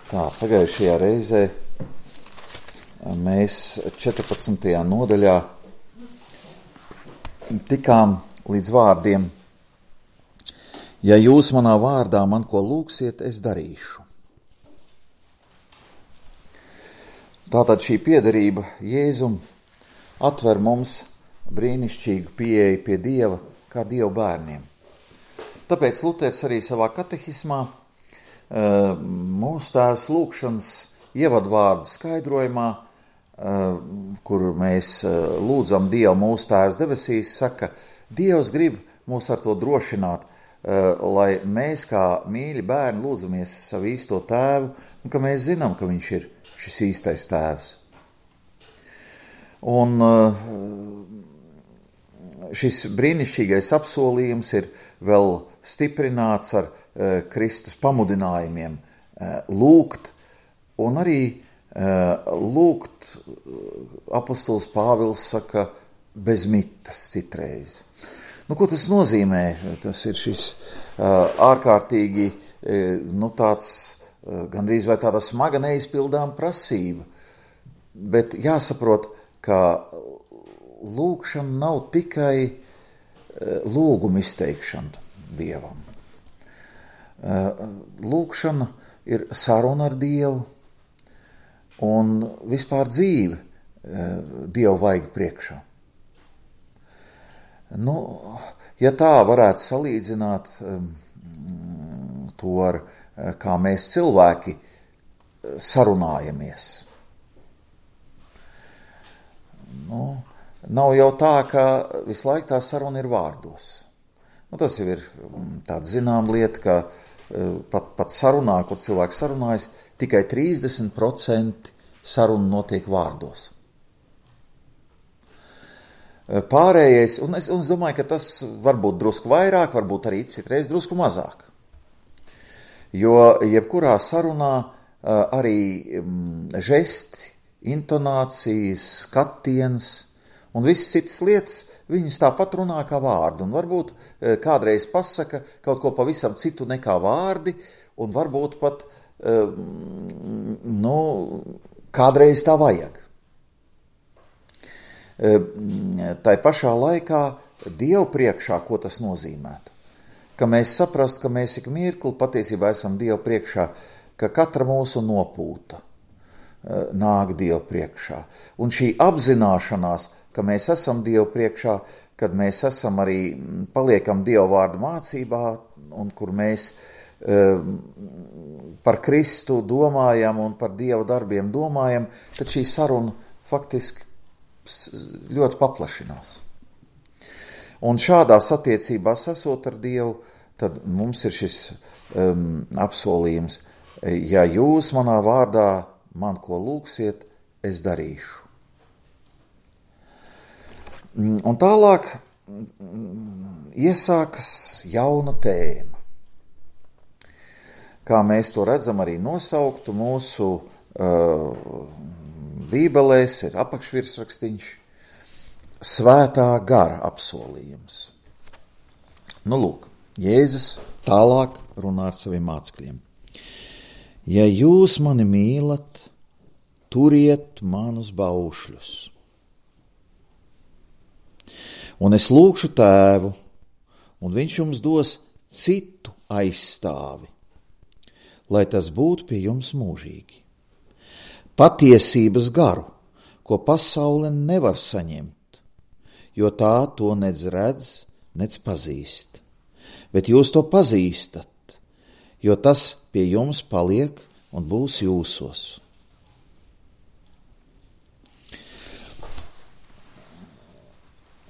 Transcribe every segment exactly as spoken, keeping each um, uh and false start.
Tā, pagājušajā reizē mēs četrpadsmitajā nodaļā tikām līdz vārdiem: ja jūs manā vārdā man ko lūgsiet, es darīšu. Tātad šī piederība Jēzum atver mums brīnišķīgu pieeju pie Dieva kā Dieva bērniem. Tāpēc Luters arī savā katehismā mūsu tēvs lūgšanas ievadvārdu skaidrojumā, kur mēs lūdzam Dievu mūsu tēvs debesīs, saka, Dievs grib mūs ar to drošināt, lai mēs kā mīļi bērni lūdzamies savu īsto tēvu, un ka mēs zinām, ka viņš ir šis īstais tēvs. Un šis brīnišķīgais apsolījums ir vēl stiprināts ar Kristus pamudinājumiem lūgt, un arī lūgt, apostols Pāvils saka, bez mitas citreiz. Nu, ko tas nozīmē? Tas ir šis ārkārtīgi, nu, tāds, gandrīz vai tāda smaga neizpildām prasība, bet jāsaprot, ka lūgšana nav tikai lūguma izteikšana Dievam. Lūgšana ir saruna ar Dievu un vispār dzīve Dievu vaigu priekšā. Nu, ja tā varētu salīdzināt to ar kā mēs cilvēki sarunājamies. Nu, nav jau tā, ka visu laiku tā saruna ir vārdos. Nu, tas jau ir tāda zinām lieta, ka pat, pat sarunā, kur cilvēks sarunājas, tikai trīsdesmit procenti saruna notiek vārdos. Pārējais, un es, un es domāju, ka tas varbūt drusku vairāk, varbūt arī citreiz drusku mazāk. Jo jebkurā sarunā arī žesti, intonācijas, skatiens un visas citas lietas, viņas tāpat runā kā vārdi, un varbūt kādreiz pasaka kaut ko pavisam citu nekā vārdi, un varbūt pat, nu, kādreiz tā vajag. Tai pašā laikā Dievu priekšā, ko tas nozīmētu? Ka mēs saprastu, ka mēs ik mirkli patiesībā esam Dievu priekšā, ka katra mūsu nopūta nāk Dievu priekšā. Un šī apzināšanās, ka mēs esam Dievu priekšā, kad mēs esam arī, paliekam Dievu vārdu mācībā, un kur mēs e, par Kristu domājam un par Dieva darbiem domājam, tad šī saruna faktiski ļoti paplašinās. Un šādās attiecībās esot ar Dievu, tad mums ir šis um, apsolījums: ja jūs manā vārdā man ko lūgsiet, es darīšu. Un tālāk iesākas jauna tēma. Kā mēs to redzam arī nosauktu mūsu uh, bībelēs, ir apakšvirsrakstīņš Svētā gara apsolījums. Nu, lūk, Jēzus tālāk runā ar saviem mācekļiem. Ja jūs mani mīlat, turiet manus baušļus. Un es lūgšu Tēvu, un viņš jums dos citu aizstāvi, lai tas būtu pie jums mūžīgi. Patiesības garu, ko pasaule nevar saņemt, jo tā to nedz redz, nedz pazīst. Bet jūs to pazīstat, jo tas pie jums paliek un būs jūsos.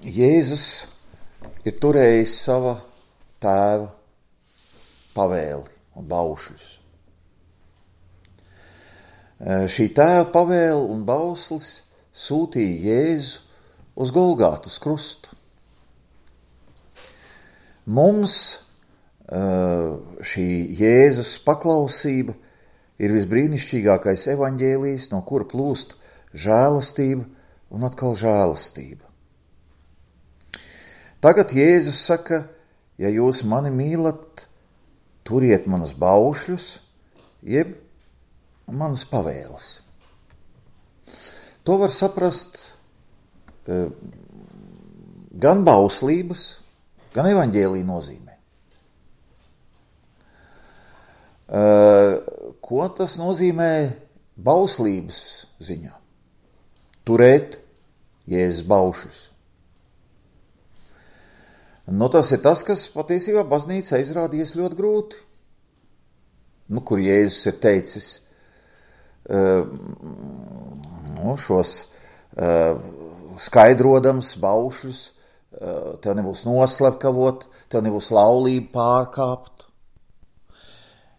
Jēzus ir turējis sava tēva pavēli un baušļus. Šī tēva pavēle un bauslis sūtīja Jēzu uz Golgātu, uz krustu. Mums šī Jēzus paklausība ir visbrīnišķīgākais evaņģēlijs, no kura plūst žēlastība un atkal žēlastība. Tagad Jēzus saka, ja jūs mani mīlat, turiet manus baušļus, jeb manas pavēles. To var saprast gan bauslības, gan evaņģēlija nozīmē. Ko tas nozīmē bauslības ziņā? Turēt Jēzus baušus. Nu, tas ir tas, kas patiesībā baznīca izrādījies ļoti grūti. Nu, kur Jēzus ir teicis nu, šos skaidrodams baušļus, tev nebūs noslepkavot, tev nebūs laulību pārkāpt.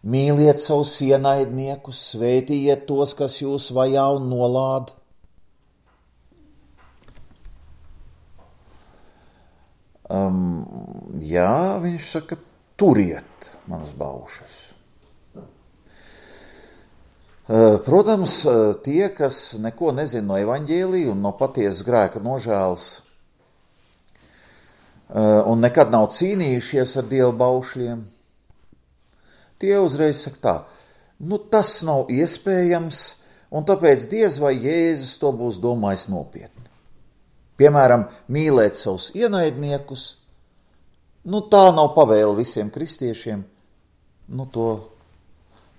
Mīliet savus ienaidniekus, svētījiet tos, kas jūs vajā un nolāda. Um, jā, viņš saka, turiet manas baušas. Uh, protams, tie, kas neko nezina no evaņģēlija un no patiesas grēka nožēlas uh, un nekad nav cīnījušies ar Dieva baušļiem, tie uzreiz saka tā, nu tas nav iespējams, un tāpēc diez vai Jēzus to būs domājis nopietni. Piemēram, mīlēt savus ienaidniekus, nu tā nav pavēle visiem kristiešiem, nu to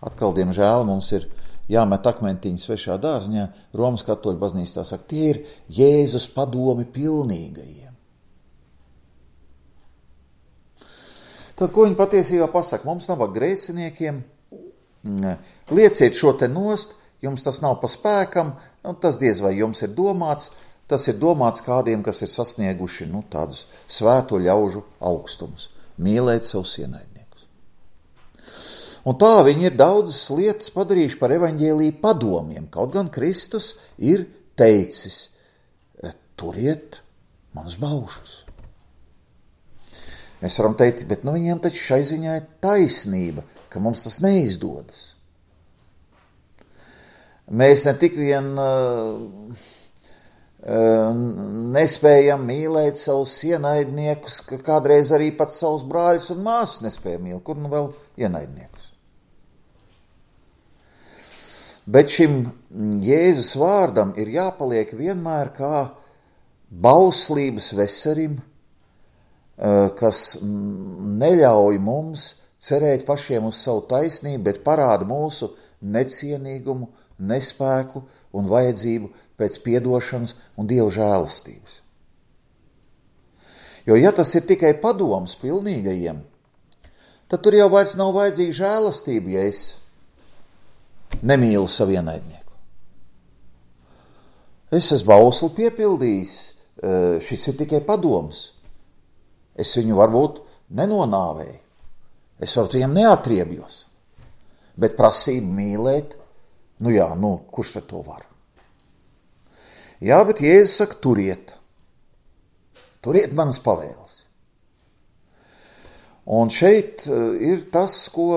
atkal, diemžēl, mums ir jāmet akmentiņi svešā dārziņā, Romas katoļu baznīca tā saka, tie ir Jēzus padomi pilnīgajiem. Tad, ko viņi patiesībā pasaka? Mums nav grēciniekiem, lieciet šo te nost, jums tas nav pa spēkam, un tas diez vai jums ir domāts, tas ir domāts kādiem, kas ir sasnieguši nu, tādus svēto ļaužu augstumus, mīlēt savus ienaidniekus. Un tā viņi ir daudzas lietas padarījuši par evaņģēliju padomiem, kaut gan Kristus ir teicis, turiet manus baušus. Mēs varam teikt, bet nu viņiem taču šai ziņā ir taisnība, ka mums tas neizdodas. Mēs ne tik vien uh, nespējam mīlēt savus ienaidniekus, ka kādreiz arī pat savus brāļus un māsas nespēja mīlēt, kur nu vēl ienaidniekus. Bet šim Jēzus vārdam ir jāpaliek vienmēr kā bauslības veserim, kas neļauj mums cerēt pašiem uz savu taisnību, bet parāda mūsu necienīgumu, nespēku un vajadzību pēc piedošanas un Dieva žēlastības. Jo, ja tas ir tikai padoms pilnīgajiem, tad tur jau vairs nav vajadzīga žēlastība, ja es nemīlu savu ienaidnieku. Es esmu bausli piepildījis, šis ir tikai padoms. Es viņu varbūt nenonāvēju, es varbūt viņam neatriebjos, bet prasību mīlēt, nu jā, nu, kurš tad to var? Jā, bet Jēzus saka, turiet. Turiet manas pavēles. Un šeit ir tas, ko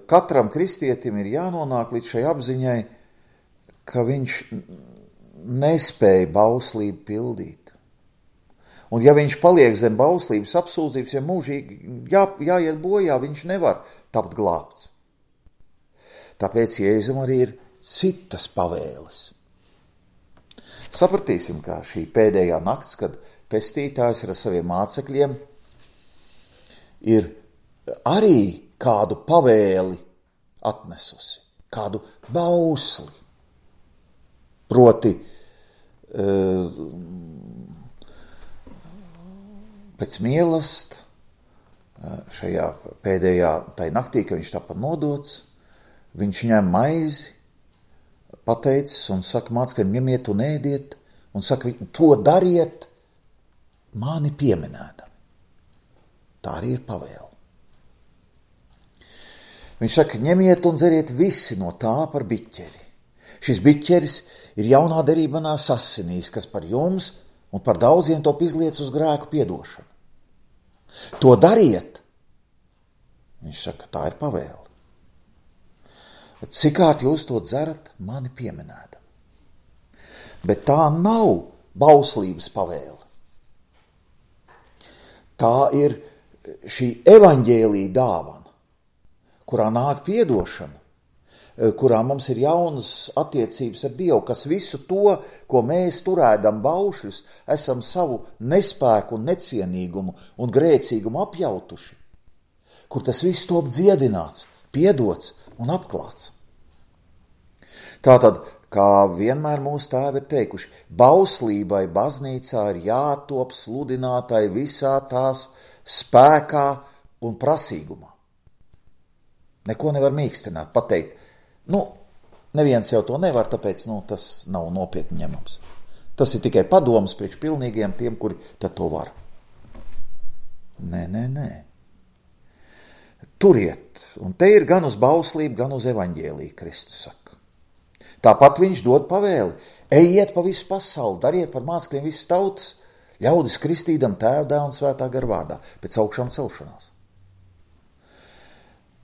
katram kristietim ir jānonāk līdz šai apziņai, ka viņš nespēja bauslību pildīt. Un ja viņš paliek zem bauslības apsūdzības, ja mūžīgi jā, jāiet bojā, viņš nevar tapt glābts. Tāpēc Jēzum arī ir citas pavēles. Sapratīsim, kā šī pēdējā nakts, kad pestītājs ar saviem mācekļiem ir arī kādu pavēli atnesusi, kādu bausli. Proti, pēc mīlest, šajā pēdējā tai naktī, kad viņš tāpat nodots, viņš ņem maizi, pateicis un saka mācekļiem, ņemiet un ēdiet, un saka, to dariet mani pieminēdami. Tā arī ir pavēle. Viņš saka, ņemiet un dzeriet visi no tā par biķeri. Šis biķeris ir jaunā derība manās asinīs, kas par jums un par daudziem top izliec uz grēku piedošanu. To dariet. Viņš saka, tā ir pavēle. Cikārt jūs to dzerat, mani pieminēdami. Bet tā nav bauslības pavēle. Tā ir šī evaņģēlija dāvana, kurā nāk piedošana, kurā mums ir jaunas attiecības ar Dievu, kas visu to, ko mēs turēdam baušļus, esam savu nespēku un necienīgumu un grēcīgumu apjautuši, kur tas viss top dziedināts, piedots un apklāts. Tātad, kā vienmēr mūsu tēvi ir teikuši, bauslībai baznīcā ir jātop sludinātai visā tās spēkā un prasīgumā. Neko nevar mīkstināt, pateikt, nu, neviens jau to nevar, tāpēc, nu, tas nav nopietni ņemams. Tas ir tikai padoms priekš pilnīgiem tiem, kuri tad to var. Nē, nē, nē. Turiet, un te ir gan uz bauslību, gan uz evaņģēliju, Kristus saka. Tāpat viņš dod pavēli, ejiet pa visu pasauli, dariet par mācekļiem visas tautas, ļaudis kristīdam Tēva, Dēla un Svētā gara vārdā, pēc augšām celšanās.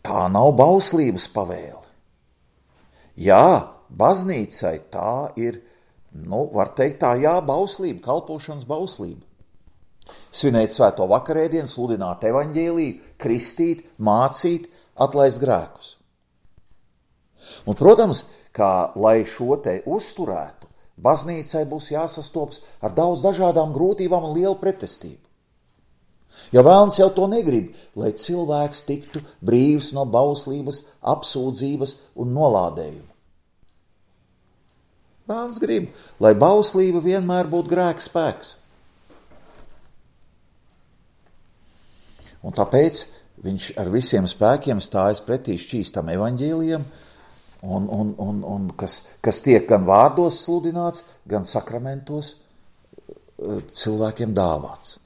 Tā nav bauslības pavēle. Jā, baznīcai tā ir, nu, var teikt tā, jā, bauslība, kalpošanas bauslība. Svinēt svēto vakarēdienu, sludināt evaņģēliju, kristīt, mācīt, atlaist grēkus. Un, protams, kā lai šo te uzturētu, baznīcai būs jāsastopas ar daudz dažādām grūtībām un lielu pretestību. Jo vēlns jau to negrib, lai cilvēks tiktu brīvs no bauslības, apsūdzības un nolādējuma. Vēlns grib, lai bauslība vienmēr būtu grēka spēks. Un tāpēc viņš ar visiem spēkiem stājas pretī šķīstam evaņģēlijam, un, un, un, un kas, kas tiek gan vārdos sludināts, gan sakramentos cilvēkiem dāvāts.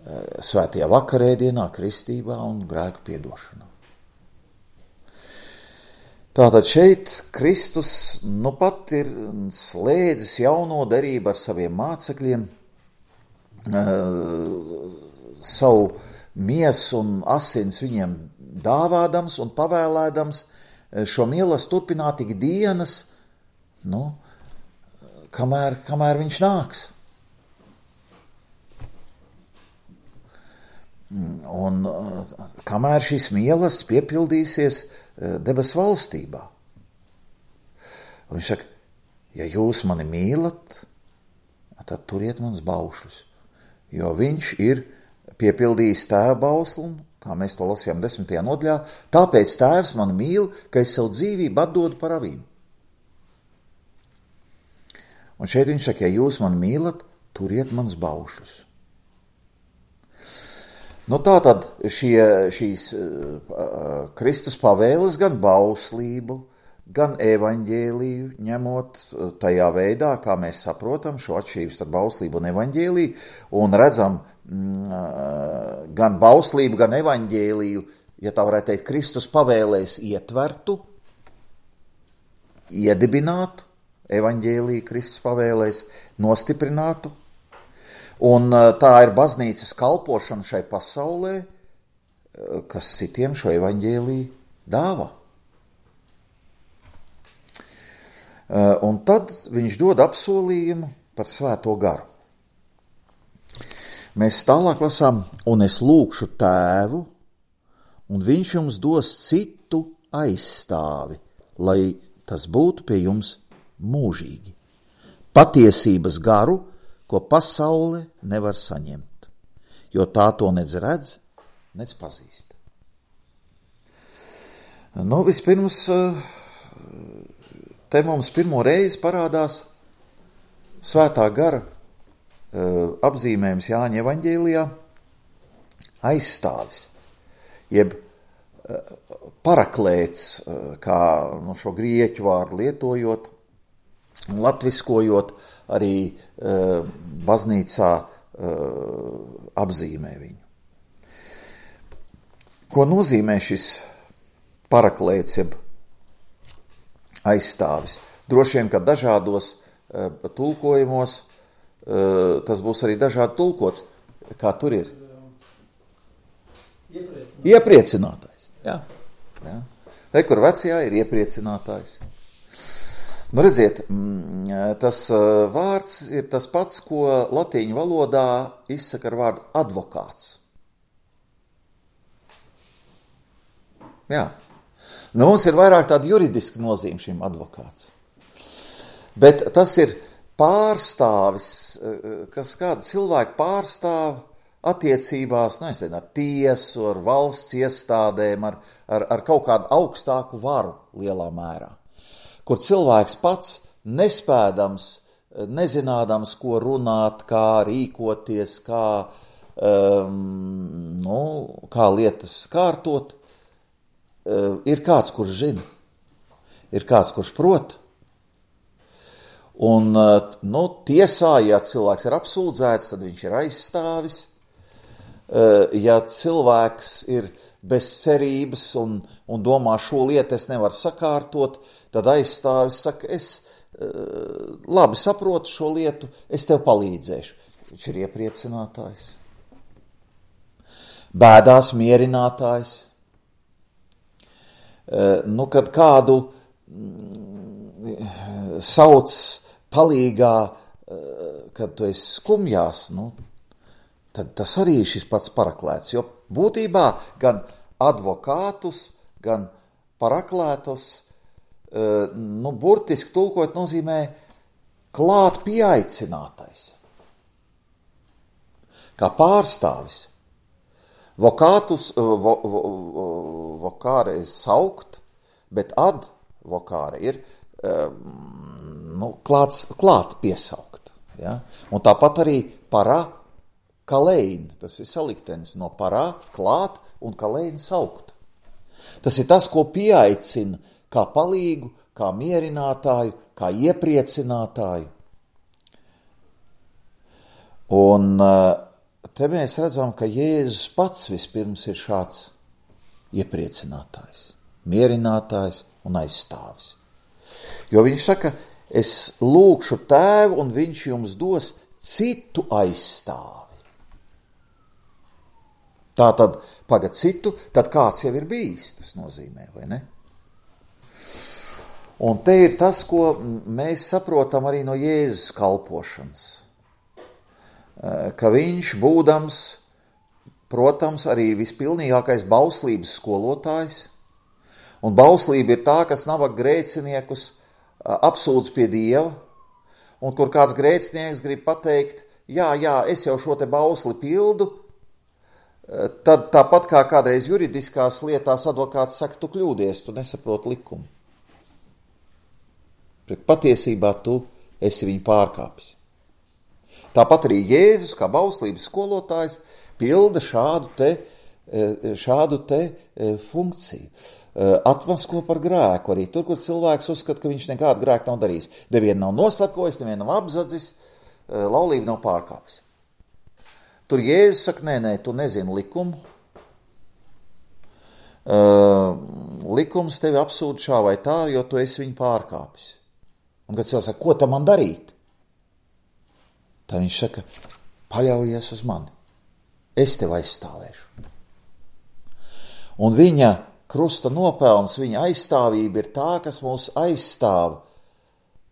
Svētajā vakarēdienā, kristībā un grēku piedošanā. Tātad šeit Kristus nu pat ir slēdzis jauno derību ar saviem mācekļiem, savu miesu un asins viņiem dāvādams un pavēlēdams šo mīlestību turpināt ik dienas, nu, kamēr, kamēr viņš nāks. Un kamēr šis mīlestības piepildīsies debes valstībā. Un viņš saka, ja jūs mani mīlat, tad turiet mans baušus, jo viņš ir piepildījis Tēva bauslu, kā mēs to lasījām desmitajā nodaļā, tāpēc Tēvs mani mīl, ka es savu dzīvību atdodu par avīm. Un šeit viņš saka, ja jūs mani mīlat, turiet mans baušus. Nu tā tad šie, šīs uh, Kristus pavēles gan bauslību, gan evaņģēliju, ņemot tajā veidā, kā mēs saprotam šo atšķirību starp bauslību un evaņģēliju, un redzam mm, gan bauslību, gan evaņģēliju, ja tā varētu teikt, Kristus pavēlēs ietvertu, iedibinātu, evaņģēliju Kristus pavēlēs nostiprinātu, un tā ir baznīcas kalpošana šai pasaulē, kas citiem šo evaņģēliju dāvā. Un tad viņš dod apsolījumu par svēto garu. Mēs tālāk lasām, un es lūkšu Tēvu, un viņš jums dos citu aizstāvi, lai tas būtu pie jums mūžīgi. Patiesības garu, ko pasaule nevar saņemt, jo tā to nec redz, nec pazīst. Nu, vispirms, te mums pirmo reizi parādās svētā gara apzīmējums Jāņa evaņģēlijā aizstāvis, jeb paraklēts, kā no šo grieķu vārdu lietojot un latviskojot, arī uh, baznīcā uh, apzīmē viņu. Ko nozīmē šis paraklēts, jeb aizstāvis? Droši vien, ka dažādos uh, tulkojumos uh, tas būs arī dažādi tulkots. Kā tur ir? Iepriecinātājs. Iepriecinātājs, jā. jā. Re, kur vecajā ir iepriecinātājs. Nu, redziet, tas vārds ir tas pats, ko latīņu valodā izsaka ar vārdu advokāts. Jā. Nu, mums ir vairāk tāda juridiska nozīme šim advokāts. Bet tas ir pārstāvis, kas kādu cilvēku pārstāv attiecībās, nu, es nezinu, ar tiesu, ar valsts iestādēm, ar, ar, ar kaut kādu augstāku varu lielā mērā, kur cilvēks pats nespēdams, nezinādams, ko runāt, kā rīkoties, kā, um, nu, kā lietas kārtot, uh, ir kāds, kurš zina, ir kāds, kurš prot. Un, uh, nu, tiesā, ja cilvēks ir apsūdzēts, tad viņš ir aizstāvis. Uh, ja cilvēks ir bez cerības un, un domā, šo lietu es nevaru sakārtot, tad aizstāvis saka, es uh, labi saprotu šo lietu, es tev palīdzēšu. Viņš ir iepriecinātājs. Bēdās mierinātājs. Uh, nu, kad kādu mm, sauc palīgā, uh, kad tu esi skumjās, nu, tad tas arī ir šis pats paraklēts, jo būtībā gan advokātus, gan paraklētus, nu, burtiski tulkot nozīmē klāt pieaicinātais. Kā pārstāvis. Vokātus, vo, vo, vokāre ir saukt, bet advokāre ir nu, klāt, klāt piesaukt. Ja? Un tāpat arī parā, kalein, tas ir saliktenis no parā, klāt un kalein saukt. Tas ir tas, ko pieaicina kā palīgu, kā mierinātāju, kā iepriecinātāju. Un te mēs redzam, ka Jēzus pats vispirms ir šāds iepriecinātājs, mierinātājs un aizstāvis. Jo viņš saka, es lūkšu tēvu un viņš jums dos citu aizstāvi. Tā tad pagad citu, tad kāds jau ir bijis, tas nozīmē, vai ne? Un te ir tas, ko mēs saprotam arī no Jēzus kalpošanas. Ka viņš būdams, protams, arī vispilnīgākais bauslības skolotājs, un bauslība ir tā, kas nabaga grēciniekus apsūdz pie Dieva, un kur kāds grēcinieks grib pateikt, jā, jā, es jau šo te bausli pildu, tad tāpat kā kādreiz juridiskās lietās advokāts saka, tu kļūdies, tu nesaproti likumu. Patiesībā tu esi viņu pārkāpis. Tāpat arī Jēzus, kā bauslības skolotājs, pilda šādu te, šādu te funkciju. Atmasko par grēku arī tur, kur cilvēks uzskata, ka viņš nekādu grēku nav darījis. Nevienu nav noslepkojis, nevienu nav apzadzis, laulību nav pārkāpis. Tur Jēzus saka, nē, nē, tu nezini likumu. Uh, likums tevi apsūd šā vai tā, jo tu esi viņu pārkāpis. Un kad cilvēks saka, ko tam man darīt? Tad viņš saka, paļaujies uz mani. Es tevi aizstāvēšu. Un viņa krusta nopelns, viņa aizstāvība ir tā, kas mūs aizstāv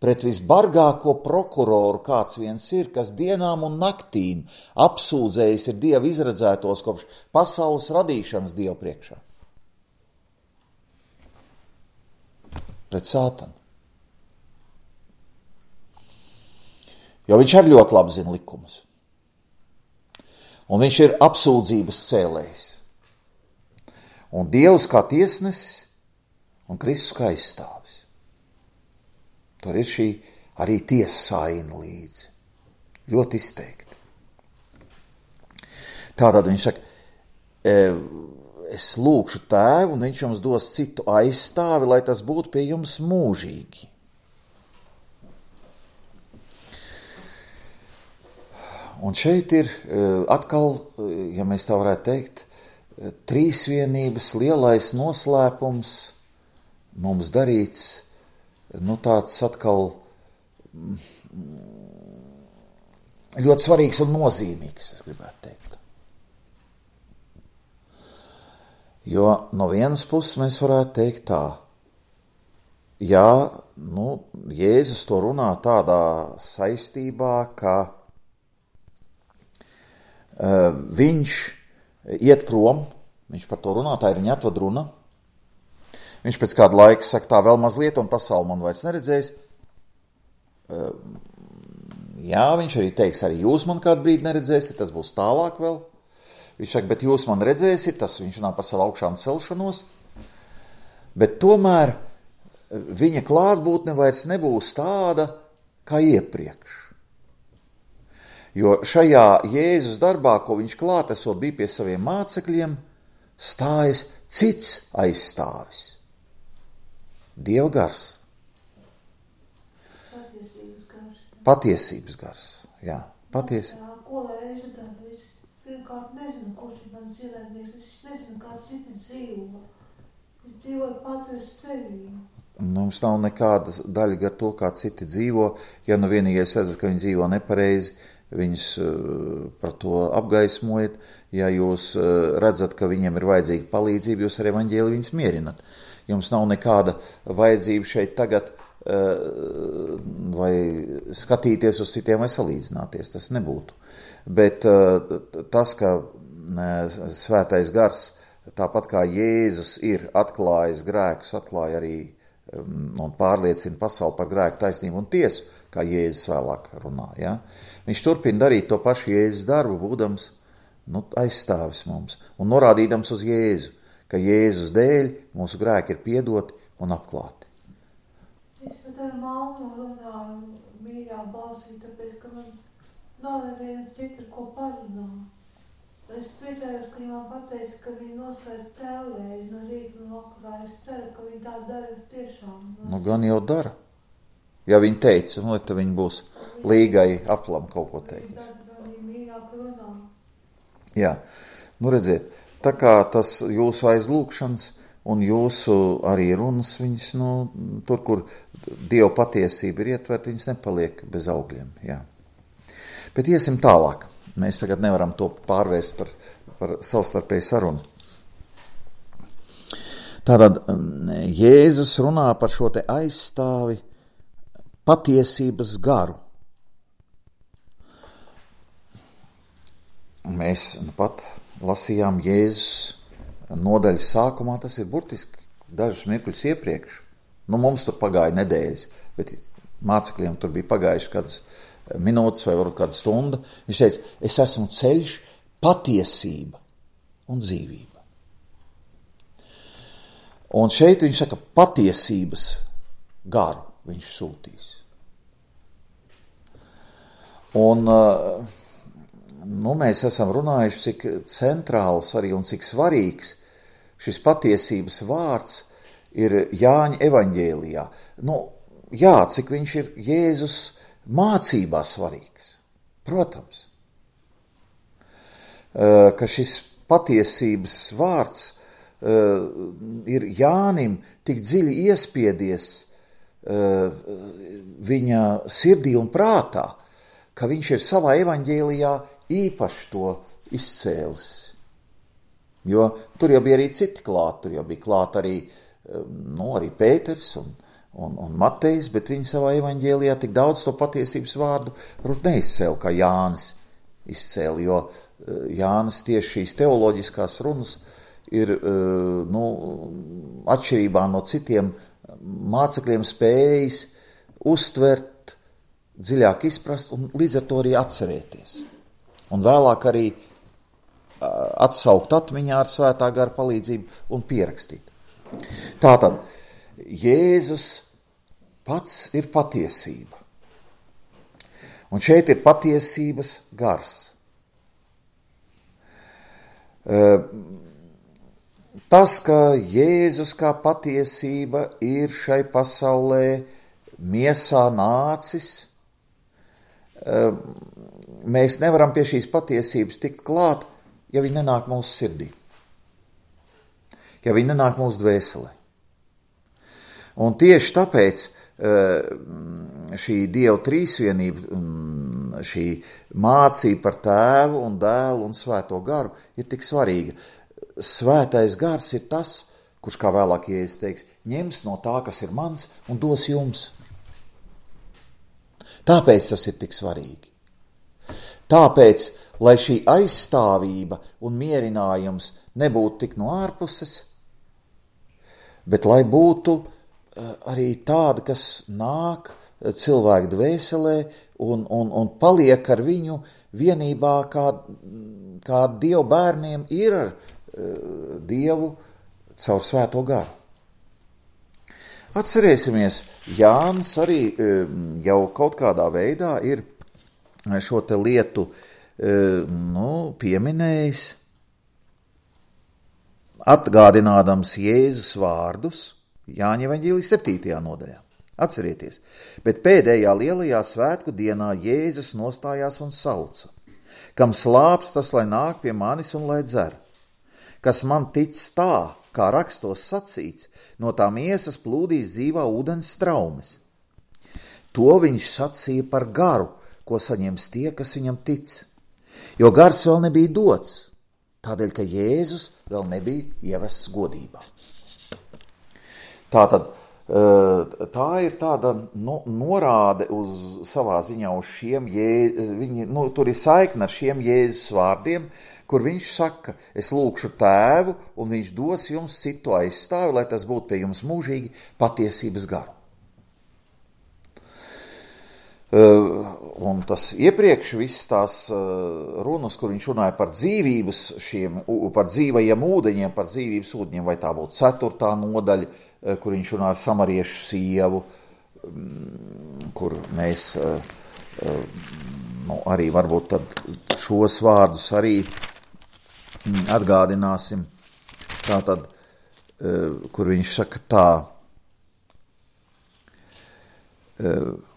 pret visbargāko prokuroru, kāds viens ir, kas dienām un naktīm apsūdzējis ir Dieva izredzētos kopš pasaules radīšanas Dievu priekšā. Pret Sātanu. Jo viņš arī ļoti labi zina likumus. Un viņš ir apsūdzības cēlējs. Un Dievs kā tiesnesis un Kristus kā aizstāvis. Tur ir šī arī tiesa saina līdzi. Ļoti izteikti. Tātad viņš saka, es lūkšu tēvu, un viņš jums dos citu aizstāvi, lai tas būtu pie jums mūžīgi. Un šeit ir atkal, ja mēs tā varētu teikt, trīsvienības lielais noslēpums mums darīts, nu tāds atkal ļoti svarīgs un nozīmīgs, es gribētu teikt. Jo no vienas puses mēs varētu teikt tā, jā, nu, Jēzus to runā tādā saistībā, ka uh, viņš iet prom, viņš par to runā, tā ir viņa atvadruna, Viņš pēc kāda laika saka, tā vēl mazliet, un pasauli man vairs neredzēs. Jā, viņš arī teiks, arī jūs man kādu brīdi neredzēsiet, tas būs tālāk vēl. Viņš saka, bet jūs man redzēsiet, tas viņš runā par savu augšām celšanos. Bet tomēr viņa klātbūtne vairs nebūs tāda, kā iepriekš. Jo šajā Jēzus darbā, ko viņš klātesot bija pie saviem mācekļiem, stājas cits aizstāvis. Dieva gars. Patiesības gars. Patiesības gars, jā, patiesi. Jā, ko lai es daru? Es pirmkārt nezinu, kurš ir mans ienaidnieks. Es nezinu, kā citi dzīvo. Es dzīvoju pati uz sevi. Mums nav nekāda daļa gar to, kā citi dzīvo. Ja nu vienīgais redzat, ka viņi dzīvo nepareizi, viņus uh, par to apgaismojat. Ja jūs uh, redzat, ka viņiem ir vajadzīga palīdzība, jūs ar evaņģēli viņus mierinat. Jums nav nekāda vajadzība šeit tagad uh, vai skatīties uz citiem vai salīdzināties. Tas nebūtu. Bet uh, tas, ka uh, svētais gars, tāpat kā Jēzus ir atklājis grēkus, atklāja arī um, un pārliecina pasauli par grēku, taisnību un tiesu, kā Jēzus vēlāk runā. Ja? Viņš turpina darīt to pašu Jēzus darbu, būdams nu, aizstāvis mums un norādīdams uz Jēzu, ka Jēzus dēļ mūsu grēki ir piedoti un apklāti. Es pat ar mammu runāju mīļā balsī, tāpēc, ka man nav neviens cits, ar ko parunāt. Es priecājos, ka viņi man pateica, ka viņi noslēdz tēvreiz no rīta un vakarā. Es ceru, ka viņi tā dara tiešām. Nu, gan jau dara. Ja viņi teica, nu, tad viņi būs līgai aplam kaut ko teikt. Viņi mīļāk runā. Jā, nu redziet, tā kā tas jūsu aizlūkšanas un jūsu arī runas, viņas, nu, tur, kur Dieva patiesība ir ietvert, viņas nepaliek bez augļiem, jā. Bet iesim tālāk. Mēs tagad nevaram to pārvērst par, par savstarpēju sarunu. Tātad Jēzus runā par šo te aizstāvi patiesības garu. Mēs nu pat lasījām Jēzus nodaļas sākumā, tas ir burtiski dažus mirkļus iepriekš. Nu, mums tur pagāja nedēļas, bet mācekļiem tur bija pagājuši kādas minūtes vai varbūt kāda stunda. Viņš teica, es esmu ceļš, patiesība un dzīvība. Un šeit viņš saka, patiesības garu viņš sūtīs. Un nu, mēs esam runājuši, cik centrāls arī un cik svarīgs šis patiesības vārds ir Jāņa evaņģēlijā. Nu, jā, cik viņš ir Jēzus mācībā svarīgs. Protams, ka šis patiesības vārds ir Jānim tik dziļi iespiedies viņa sirdī un prātā, ka viņš ir savā evaņģēlijā īpaši to izcēlis. Jo tur jau bija arī citi klāt, tur jau bija klāt arī, nu, arī Pēters un Un, un Matejs, bet viņi savā evaņģēlijā tik daudz to patiesības vārdu varbūt neizcēla, kā Jānis izcēla, jo Jānis tieši šīs teoloģiskās runas ir, nu, atšķirībā no citiem mācekļiem spējis uztvert, dziļāk izprast un līdz ar to arī atcerēties. Un vēlāk arī atsaukt atmiņā ar svētā gara palīdzību un pierakstīt. Tātad, Jēzus pats ir patiesība. Un šeit ir patiesības gars. Tas, ka Jēzus kā patiesība ir šai pasaulē miesā nācis, mēs nevaram pie šīs patiesības tikt klāt, ja viņi nenāk mūsu sirdī. Ja viņi nenāk mūsu dvēselē. Un tieši tāpēc šī Dieva trīsvienība, šī mācība par tēvu un dēlu un svēto garu ir tik svarīga. Svētais gars ir tas, kurš, kā vēlāk Jēzus teiks, ņems no tā, kas ir mans, un dos jums. Tāpēc tas ir tik svarīgi. Tāpēc, lai šī aizstāvība un mierinājums nebūtu tik no ārpuses, bet lai būtu arī tāda, kas nāk cilvēku dvēselē un, un, un paliek ar viņu vienībā, kā, kā Dievu bērniem ir ar uh, Dievu caur Svēto garu. Atcerēsimies, Jānis arī um, jau kaut kādā veidā ir šo te lietu um, nu, pieminējis, atgādinādams Jēzus vārdus Jāņa evaņģēlija septītajā nodaļā. Atcerieties, bet pēdējā lielajā svētku dienā Jēzus nostājās un sauca: kam slāps, tas lai nāk pie manis un lai dzer. Kas man tic tā, kā rakstos sacīts, no tā miesas plūdīs dzīvā ūdens straumes. To viņš sacīja par garu, ko saņems tie, kas viņam tic. Jo gars vēl nebija dots, tādēļ, ka Jēzus vēl nebija ievests godībā. Tātad, tā ir tāda no, norāde uz savā ziņā uz šiem, jē, viņi, nu, tur ir saikne ar šiem Jēzus vārdiem, kur viņš saka, es lūkšu tēvu, un viņš dos jums citu aizstāvi, lai tas būtu pie jums mūžīgi patiesības garu. Uh, un tas iepriekš viss tās uh, runas, kur viņš runāja par dzīvības šiem, par dzīvajiem ūdeņiem, par dzīvības ūdeņiem, vai tā būtu ceturtā nodaļa, uh, kur viņš runā ar samariešu sievu, um, kur mēs uh, uh, nu, arī varbūt tad šos vārdus arī um, atgādināsim. Tātad, uh, kur viņš saka tā, uh,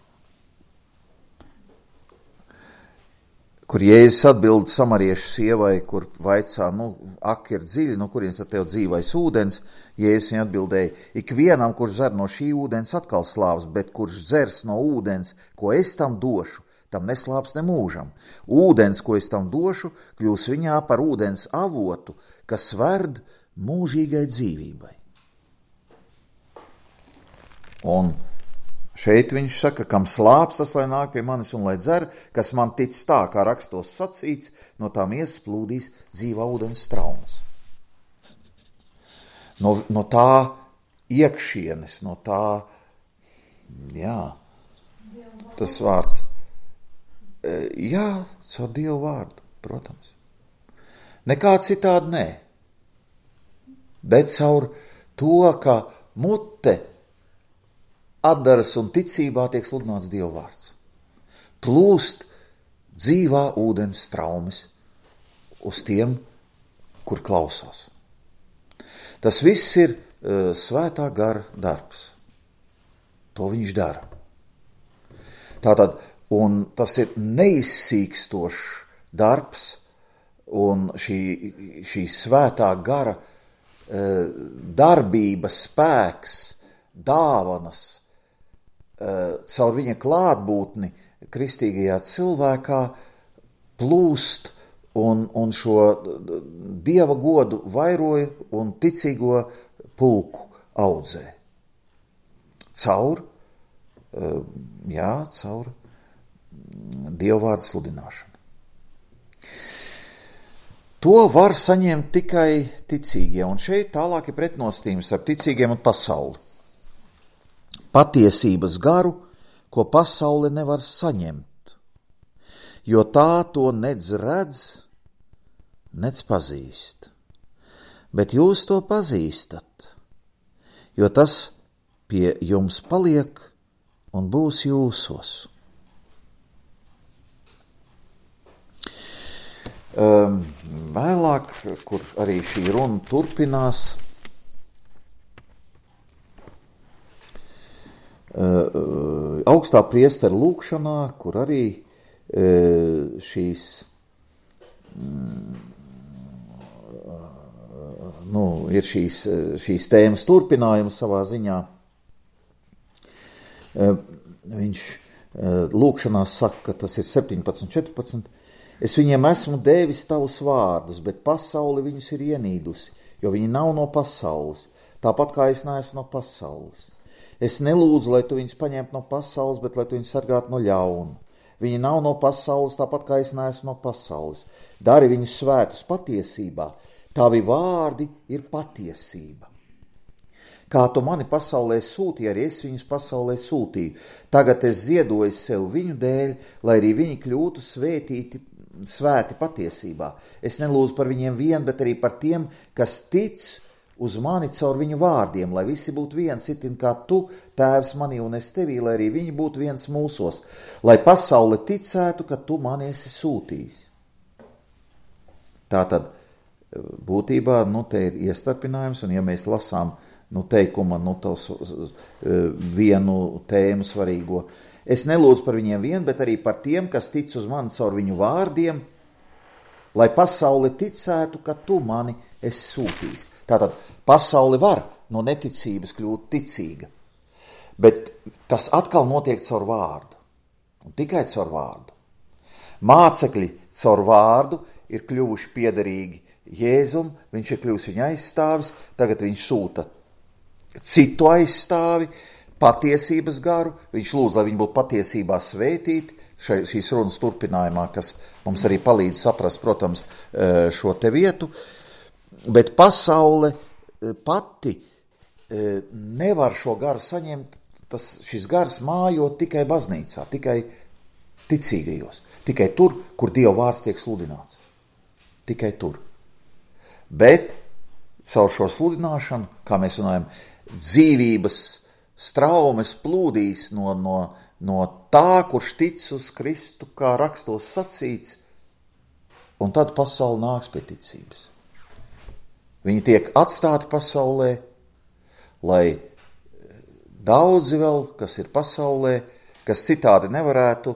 kur Jēzus atbild samariešu sievai, kur vaicā, nu, ak ir dziļi, no kurienes tad tev dzīvais ūdens, Jēzus viņai atbildēja, ikvienam, kurš dzer no šī ūdens atkal slāps, bet kurš dzers no ūdens, ko es tam došu, tam neslāps ne mūžam. Ūdens, ko es tam došu, kļūs viņā par ūdens avotu, kas verd mūžīgai dzīvībai. Un šeit viņš saka, kam slāps, tas lai nāk pie manis un lai dzer, kas man tic tā, kā rakstos sacīts, no tā miesas plūdīs dzīvā ūdens straumes. No, no tā iekšienes, no tā, jā, tas vārds, jā, caur Dievu vārdu, protams. Nekā citādi nē, bet caur to, ka mute atdaras un ticībā tiek sludināts Dieva vārds. Plūst dzīvā ūdens straumes uz tiem, kur klausās. Tas viss ir uh, svētā gara darbs. To viņš dara. Tātad, un tas ir neizsīkstošs darbs, un šī, šī svētā gara uh, darbības spēks, dāvanas, caur viņa klātbūtni kristīgajā cilvēkā plūst un, un šo Dieva godu vairoja un ticīgo pulku audzē. Caur, jā, caur Dieva vārdu sludināšanu. To var saņemt tikai ticīgie, un šeit tālāk ir pretnostījums ar ticīgiem un pasauli. Patiesības garu, ko pasaule nevar saņemt, jo tā to nedz redz, nedz pazīst. Bet jūs to pazīstat, jo tas pie jums paliek un būs jūsos. Um, vēlāk, kur arī šī runa turpinās, Uh, augstā priestera lūkšanā, kur arī uh, šīs, mm, uh, nu, ir šīs, šīs tēmas turpinājums savā ziņā. Uh, viņš uh, lūkšanā saka, ka tas ir septiņpadsmit, četrpadsmit. Es viņiem esmu devis tavus vārdus, bet pasauli viņus ir ienīdusi, jo viņi nav no pasaules, tāpat kā es neesmu no pasaules. Es nelūdzu, lai tu viņus paņemtu no pasaules, bet lai tu viņus sargātu no ļauna. Viņi nav no pasaules, tāpat kā es neesmu no pasaules. Dari viņus svētus patiesībā. Tavi vārdi ir patiesība. Kā tu mani pasaulē sūtīji, arī es viņus pasaulē sūtīju. Tagad es ziedoju sev viņu dēļ, lai arī viņi kļūtu svētīti, svēti patiesībā. Es nelūdzu par viņiem vien, bet arī par tiem, kas tic uz mani caur viņu vārdiem, lai visi būtu viens, itin kā tu, tēvs manī un es tevī, lai arī viņi būtu viens mūsos, lai pasaule ticētu, ka tu mani esi sūtījis. Tātad, būtībā, nu, te ir iestarpinājums, un ja mēs lasām, nu, teikuma, nu, tos vienu tēmu svarīgo, es nelūdzu par viņiem vien, bet arī par tiem, kas tic uz mani caur viņu vārdiem, lai pasaule ticētu, ka tu mani esi sūtījis. Tātad pasaule var no neticības kļūt ticīga, bet tas atkal notiek caur vārdu, un tikai caur vārdu. Mācekļi caur vārdu ir kļuvuši piederīgi Jēzum, viņš ir kļuvis viņa aizstāvis, tagad viņš sūta citu aizstāvi, patiesības garu, viņš lūdz, lai viņi būtu patiesībā svētīti, šai, šīs runas turpinājumā, kas mums arī palīdz saprast, protams, šo te vietu, bet pasaule pati nevar šo garu saņemt, tas, šis gars mājo tikai baznīcā, tikai ticīgajos, tikai tur, kur Dieva vārds tiek sludināts, tikai tur. Bet caur šo sludināšanu, kā mēs runājam, dzīvības straumes plūdīs no, no, no tā, kurš tic uz Kristu, kā rakstos sacīts, un tad pasaule nāks pie ticības. Viņi tiek atstāti pasaulē, lai daudzi vēl, kas ir pasaulē, kas citādi nevarētu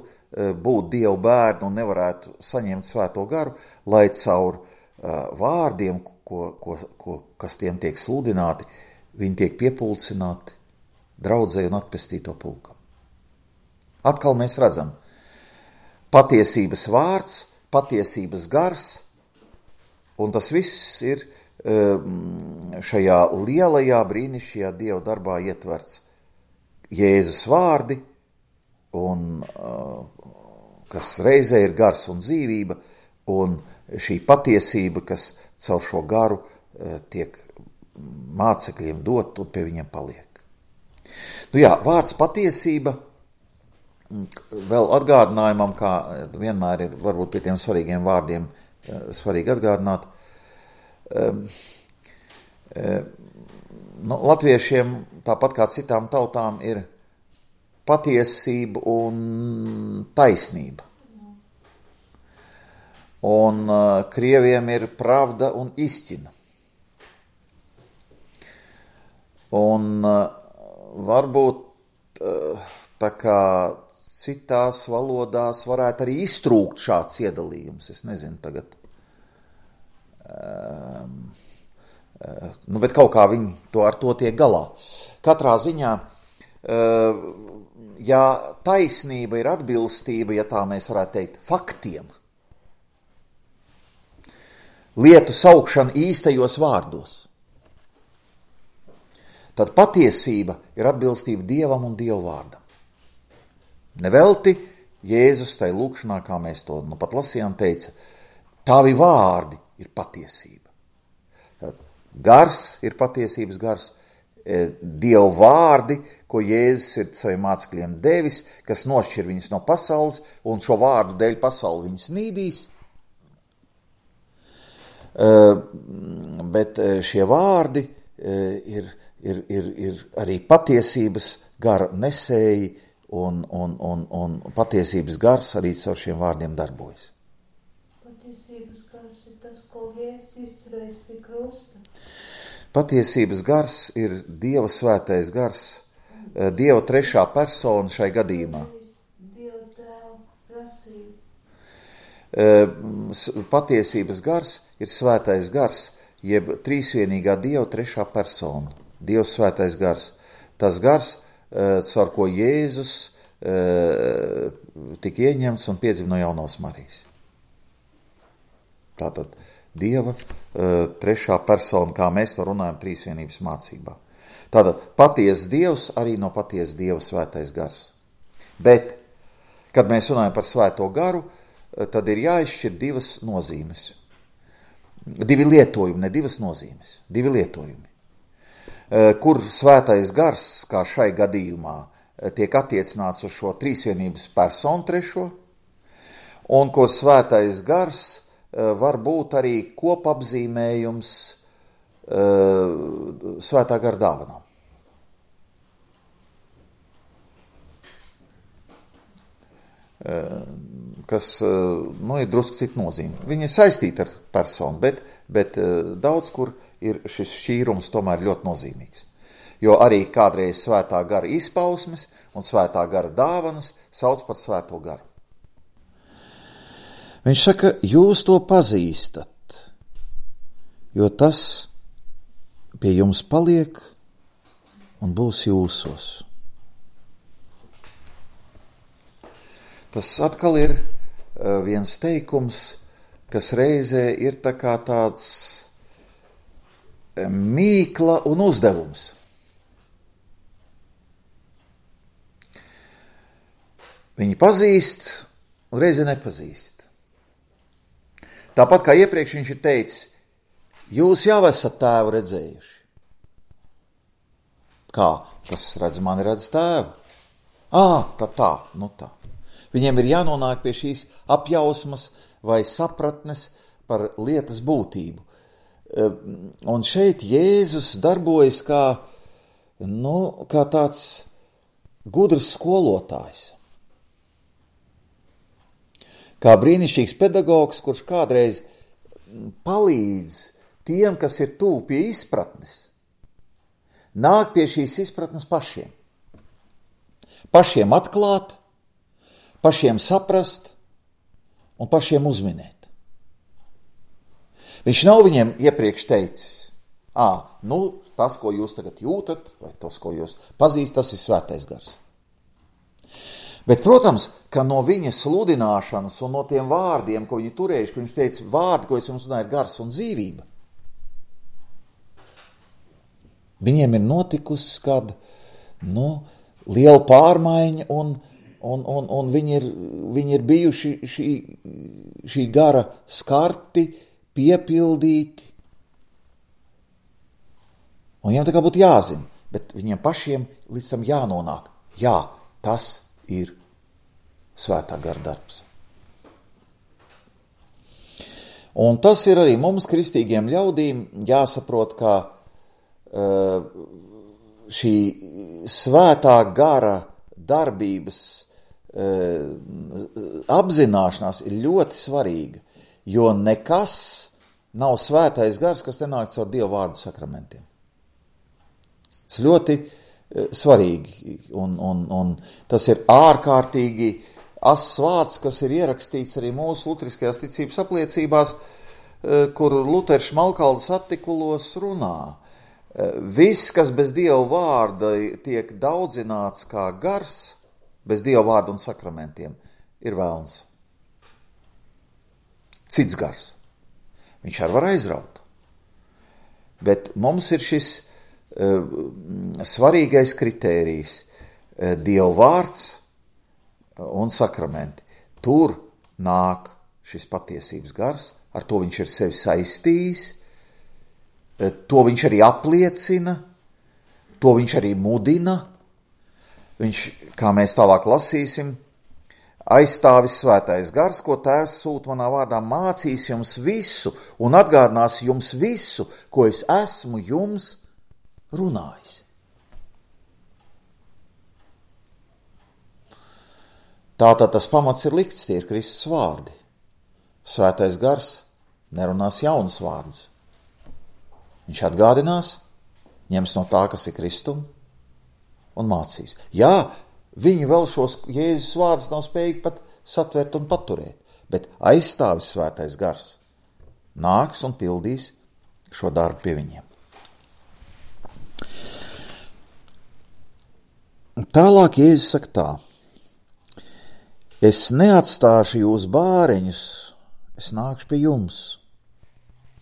būt Dieva bērni un nevarētu saņemt svēto garu, lai caur vārdiem, ko, ko, ko, kas tiem tiek sludināti, viņi tiek piepulcināti draudzei un atpestīto pulkam. Atkal mēs redzam patiesības vārds, patiesības gars, un tas viss ir šajā lielajā brīnišķīgajā Dieva darbā ietverts. Jēzus vārdi, un, kas reizē ir gars un dzīvība, un šī patiesība, kas caur šo garu tiek mācekļiem dot un pie viņiem paliek. Nu jā, vārds patiesība, vēl atgādinājumam, kā vienmēr ir varbūt pie tiem svarīgiem vārdiem svarīgi atgādināt, um, um, nu, latviešiem, tāpat kā citām tautām, ir patiesība un taisnība. Un uh, krieviem ir pravda un istina. Un uh, varbūt uh, tā kā citās valodās varētu arī iztrūkt šāds iedalījums. Es nezinu tagad. Um, uh, nu, bet kaut kā viņi to ar to tiek galā. Katrā ziņā, uh, ja taisnība ir atbilstība, ja tā mēs varētu teikt, faktiem, lietu saukšana īstajos vārdos, tad patiesība ir atbilstība Dievam un Dieva vārdam. Nevelti Jēzus tai lūkšanā, kā mēs to nu pat lasījām, teica, tavi vārdi ir patiesība. Tad gars ir patiesības gars, Dieva vārdi, ko Jēzus ir saviem mācekļiem devis, kas nošķir viņus no pasaules, un šo vārdu dēļ pasauli viņus nīdīs. Uh, bet šie vārdi uh, ir, ir, ir, ir arī patiesības gara nesēji, un, un, un, un patiesības gars arī caur šiem vārdiem darbojas. Patiesības gars ir tas, ko Jēzus izturējis pie krusta. Patiesības gars ir Dieva svētais gars, uh, Dieva trešā persona šai gadījumā. Dieva tēva prasība. Patiesības gars ir svētais gars, jeb trīsvienīgā Dieva trešā persona, Dievs svētais gars. Tas gars, caur ko Jēzus tika ieņemts un piedzima no jaunās Marijas. Tātad Dieva trešā persona, kā mēs to runājam trīsvienības mācībā. Tātad patiesas Dievs arī no patiesas Dieva svētais gars. Bet, kad mēs runājam par svēto garu, tad ir jāizšķir divas nozīmes. Divi lietojumi, ne divas nozīmes, divi lietojumi. kur svētais gars, kā šai gadījumā, tiek attiecināts uz šo trīsvienības personu trešo, un kur svētais gars var būt arī kopapzīmējums svētā gara dāvanām. Kas, nu, ir drusku cita nozīme. Viņi ir saistīti ar personu, bet, bet daudz kur ir šis šķīrums tomēr ļoti nozīmīgs. Jo arī kādreiz svētā gara izpausmes un svētā gara dāvanas sauc par svēto garu. Viņš saka, jūs to pazīstat, jo tas pie jums paliek un būs jūsos. Tas atkal ir viens teikums, kas reizē ir tā kā tāds mīkla un uzdevums. Viņi pazīst un reizē nepazīst. Tāpat kā iepriekš viņš ir teicis, jūs jau esat tēvu redzējuši. Kā? Tas redz mani, redz tēvu. Ā, tā tā, nu tā. Viņiem ir jānonāk pie šīs apjausmas vai sapratnes par lietas būtību. Un šeit Jēzus darbojas kā, nu, kā tāds gudrs skolotājs. Kā brīnišķīgs pedagogs, kurš kādreiz palīdz tiem, kas ir tuvu pie izpratnes, nāk pie šīs izpratnes pašiem. Pašiem atklāt, pašiem saprast un pašiem uzminēt. Viņš nav viņiem iepriekš teicis, ā, nu, tas, ko jūs tagad jūtat, vai tas, ko jūs pazīst, tas ir svētais gars. Bet, protams, ka no viņa sludināšanas un no tiem vārdiem, ko viņi turējuši, ka viņš teica, vārdi, ko es jums runāju, ir gars un dzīvība. Viņiem ir notikusi kāda, nu, liela pārmaiņa un Un, un, un viņi, ir, viņi ir bijuši šī, šī gara skarti, piepildīti. Un viņiem tā kā būtu jāzina, bet viņiem pašiem līdz tam jānonāk. Jā, tas ir svētā gara darbs. Un tas ir arī mums, kristīgiem ļaudīm, jāsaprot, ka uh, šī svētā gara darbības apzināšanās ir ļoti svarīga, jo nekas nav svētais gars, kas nenāk caur Dieva vārdu sakramentiem. Tas ļoti svarīgi, un, un, un tas ir ārkārtīgi asss vārds, kas ir ierakstīts arī mūsu luteriskajās ticības apliecībās, kur Luters Šmalkaldas artikulos runā. Viss, kas bez Dieva vārda tiek daudzināts kā gars, bez Dieva vārdu un sakramentiem, ir velns. Cits gars. Viņš arī var aizraut. Bet mums ir šis uh, svarīgais kritērijs uh, – Dieva vārds un sakramenti. Tur nāk šis patiesības gars, ar to viņš ir sevi saistījis, uh, to viņš arī apliecina, to viņš arī mudina. Viņš, kā mēs tālāk lasīsim, aizstāvis svētais gars, ko Tēvs sūta manā vārdā, mācīs jums visu un atgādinās jums visu, ko es esmu jums runājis. Tātad tas pamats ir likts, tie ir Kristus vārdi. Svētais gars nerunās jaunus vārdus. Viņš atgādinās, ņems no tā, kas ir Kristum, un mācīs. Jā, viņi vēl šos Jēzus vārdus nav spējīgi pat satvert un paturēt, bet aizstāvis svētais gars nāks un pildīs šo darbu pie viņiem. Tālāk Jēzus saka tā, es neatstāšu jūs bāreņus, es nākšu pie jums.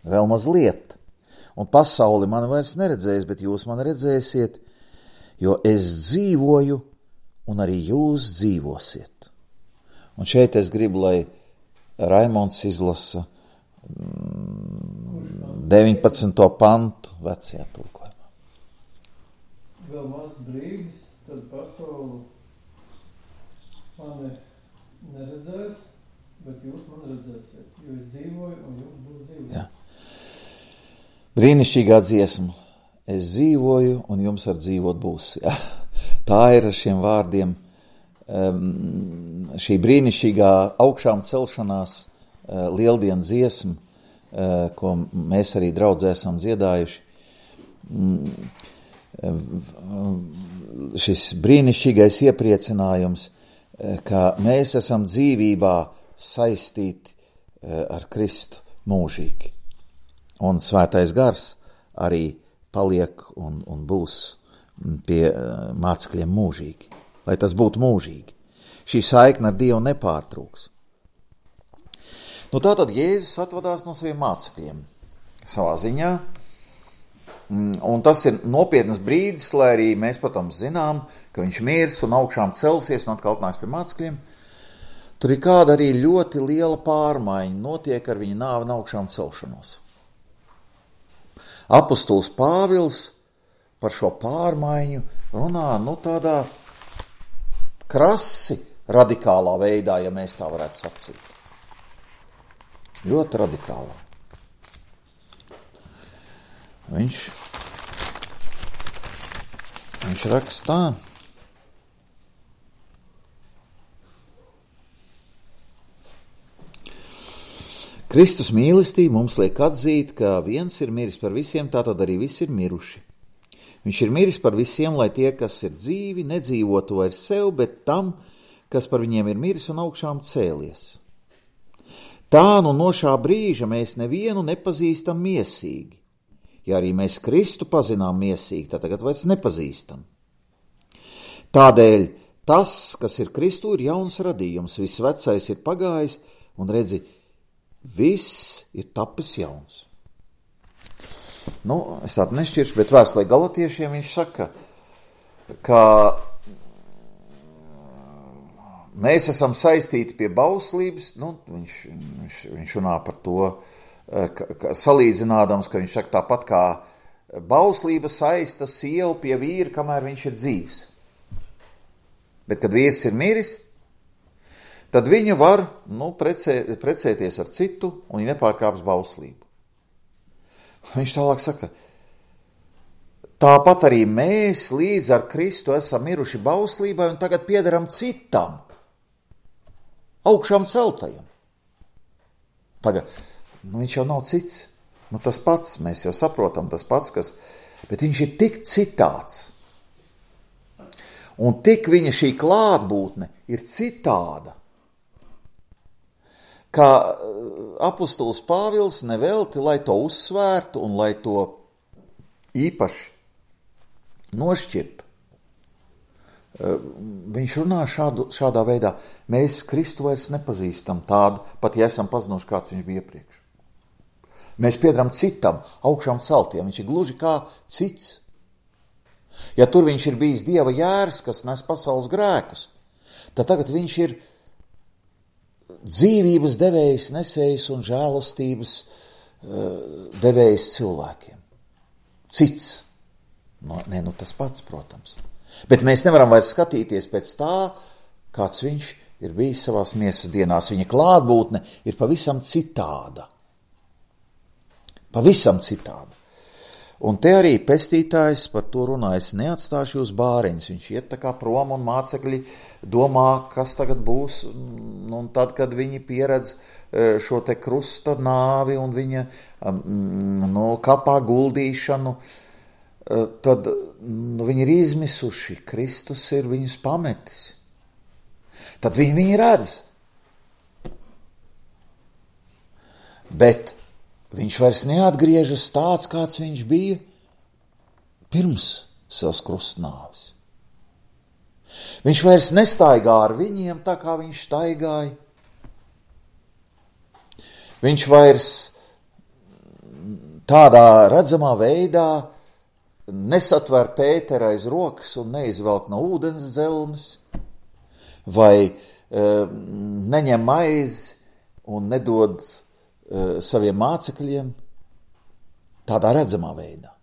Vēl mazliet, un pasauli mani vairs neredzēs, bet jūs mani redzēsiet, jo es dzīvoju, un arī jūs dzīvosiet. Un šeit es gribu, lai Raimonds izlasa deviņpadsmito pantu vecajā tulkojumā. vēl maz brīdis, tad pasauli mani neredzēs, bet jūs man redzēsiet, jo es dzīvoju un jums būs dzīvoju. Jā. Brīnišķīgā dziesma. Es dzīvoju un jums ar dzīvot būs. Jā. Tā ir ar šiem vārdiem um, šī brīnišķīgā augšām celšanās uh, lieldienu dziesma, uh, ko mēs arī draudzē esam dziedājuši. Um, um, šis brīnišķīgais iepriecinājums, uh, ka mēs esam dzīvībā saistīti uh, ar Kristu mūžīgi. Un svētais gars arī paliek un, un būs pie uh, mācekļiem mūžīgi. Lai tas būtu mūžīgi. Šī saikne ar Dievu nepārtrūks. Nu tātad Jēzus atvadās no saviem mācekļiem savā ziņā. Un tas ir nopietnas brīdis, lai arī mēs, protams, zinām, ka viņš mirs un augšām celsies un atkal atnāks pie mācekļiem. Tur ir kāda arī ļoti liela pārmaiņa notiek ar viņa nāvi un augšām celšanos. Apostols Pāvils par šo pārmaiņu runā, nu tādā krasi radikālā veidā, ja mēs tā varētu sacīt. Ļoti radikālā. Viņš, viņš raksta tā. Kristus mīlestība mums liek atzīt, ka viens ir miris par visiem, tātad arī visi ir miruši. Viņš ir miris par visiem, lai tie, kas ir dzīvi, nedzīvotu vairs sev, bet tam, kas par viņiem ir miris un augšām cēlies. Tā nu no šā brīža mēs nevienu nepazīstam miesīgi. Ja arī mēs Kristu pazinām miesīgi, tad tagad vairs nepazīstam. Tādēļ tas, kas ir Kristu, ir jauns radījums, viss vecais ir pagājis un redzi, viss ir tapis jauns. Nu, es tādu nešķiršu, bet vēstulē Galatiešiem viņš saka, ka mēs esam saistīti pie bauslības, nu, viņš, viņš, viņš runā par to, ka, ka salīdzinādams, ka viņš saka tāpat kā bauslība saista sievu pie vīra, kamēr viņš ir dzīvs. Bet, kad vīrs ir miris, tad viņa var nu, precē, precēties ar citu un viņa nepārkāps bauslību. Viņš tālāk saka, tāpat arī mēs līdz ar Kristu esam miruši bauslībai un tagad piederam citam, augšām celtajam. Pagad, nu viņš jau nav cits, nu tas pats, mēs jau saprotam, tas pats, kas, bet viņš ir tik citāds. Un tik viņa šī klātbūtne ir citāda, kā apostols Pāvils nevelti, lai to uzsvērtu un lai to īpaši nošķirtu. Viņš runā šādu, šādā veidā, mēs Kristu vairs nepazīstam tādu, pat ja esam pazinuši, kāds viņš bija iepriekš. Mēs piedaram citam, augšām celtiem, viņš ir gluži kā cits. Ja tur viņš ir bijis Dieva jērs, kas nes pasaules grēkus, tad tagad viņš ir dzīvības devējs, nesējs un žēlastības devējs cilvēkiem. Cits. No, ne, nu tas pats, protams. Bet mēs nevaram vairs skatīties pēc tā, kāds viņš ir bijis savās miesas dienās. Viņa klātbūtne ir pavisam citāda. Pavisam citāda. Un te arī pestītājs par to runā, es neatstāšu jūs bāriņus. Viņš iet tā kā prom un mācekļi domā, kas tagad būs. Un tad, kad viņi pieredz šo te krusta nāvi un viņa no kapā guldīšanu, tad nu, viņi ir izmisuši. Kristus ir viņus pametis. Tad viņi viņi redz. Bet viņš vairs neatgriežas tāds, kāds viņš bija pirms savas krustnāves. Viņš vairs nestaigā ar viņiem tā, kā viņš staigāja. Viņš vairs tādā redzamā veidā nesatver Pēteru aiz rokas un neizvelk no ūdens dzelmes, vai e, neņem maizi un nedod saviem mācekļiem tādā redzamā veidā.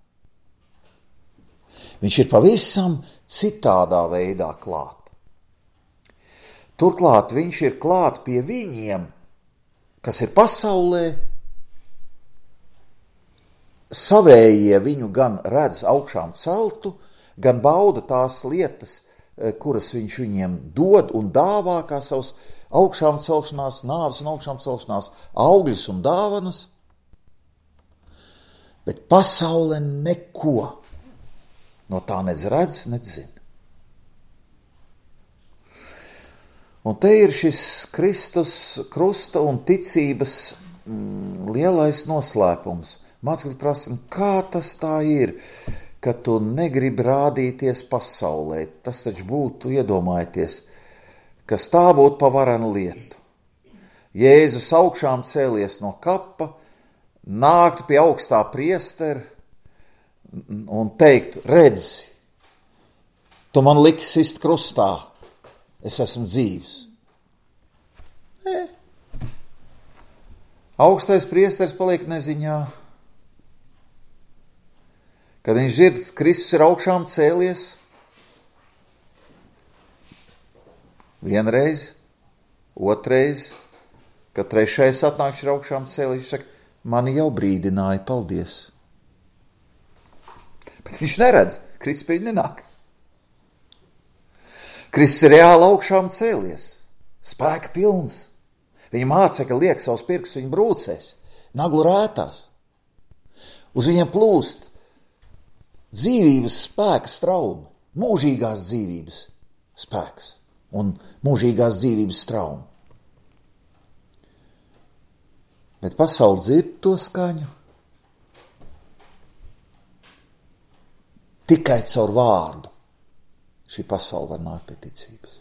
Viņš ir pavisam citādā veidā klāt. Turklāt viņš ir klāt pie viņiem, kas ir pasaulē. Savējie viņu gan redz augšām celtu, gan bauda tās lietas, kuras viņš viņiem dod un dāvā kā savus augšām celšanās, nāves un augšām celšanās augļus un dāvanas. Bet pasaule neko no tā nec redz, nec zina. Un te ir šis Kristus krusta un ticības mm, lielais noslēpums. Mācekļi prasa, kā tas tā ir, ka tu negribi rādīties pasaulē. Tas taču būtu, iedomājieties, kas tā būtu pa varenu lietu. Jēzus augšām cēlies no kapa, nāktu pie augstā priestera un teikt, redzi, tu man liki sist krustā, es esmu dzīvs. Nē. Augstais priesteris paliek neziņā. Kad viņš dzird, Kristus ir augšām cēlies, vienreiz, otrais, kad trešais atnāk, viņš ir augšām cēlies, viņš saka, mani jau brīdināja, paldies. Bet viņš neredz, Kristus pie viņa nenāk. Kristus ir reāli augšām cēlies, spēka pilns. Viņa mācekļi liek savus pirkstus viņa brūcēs, naglu rētās. Uz viņiem plūst dzīvības spēka straumi, mūžīgās dzīvības spēks un mūžīgās dzīvības straumi. Bet pasaule dzird to skaņu tikai caur vārdu. Šī pasaule var nākt pie ticības.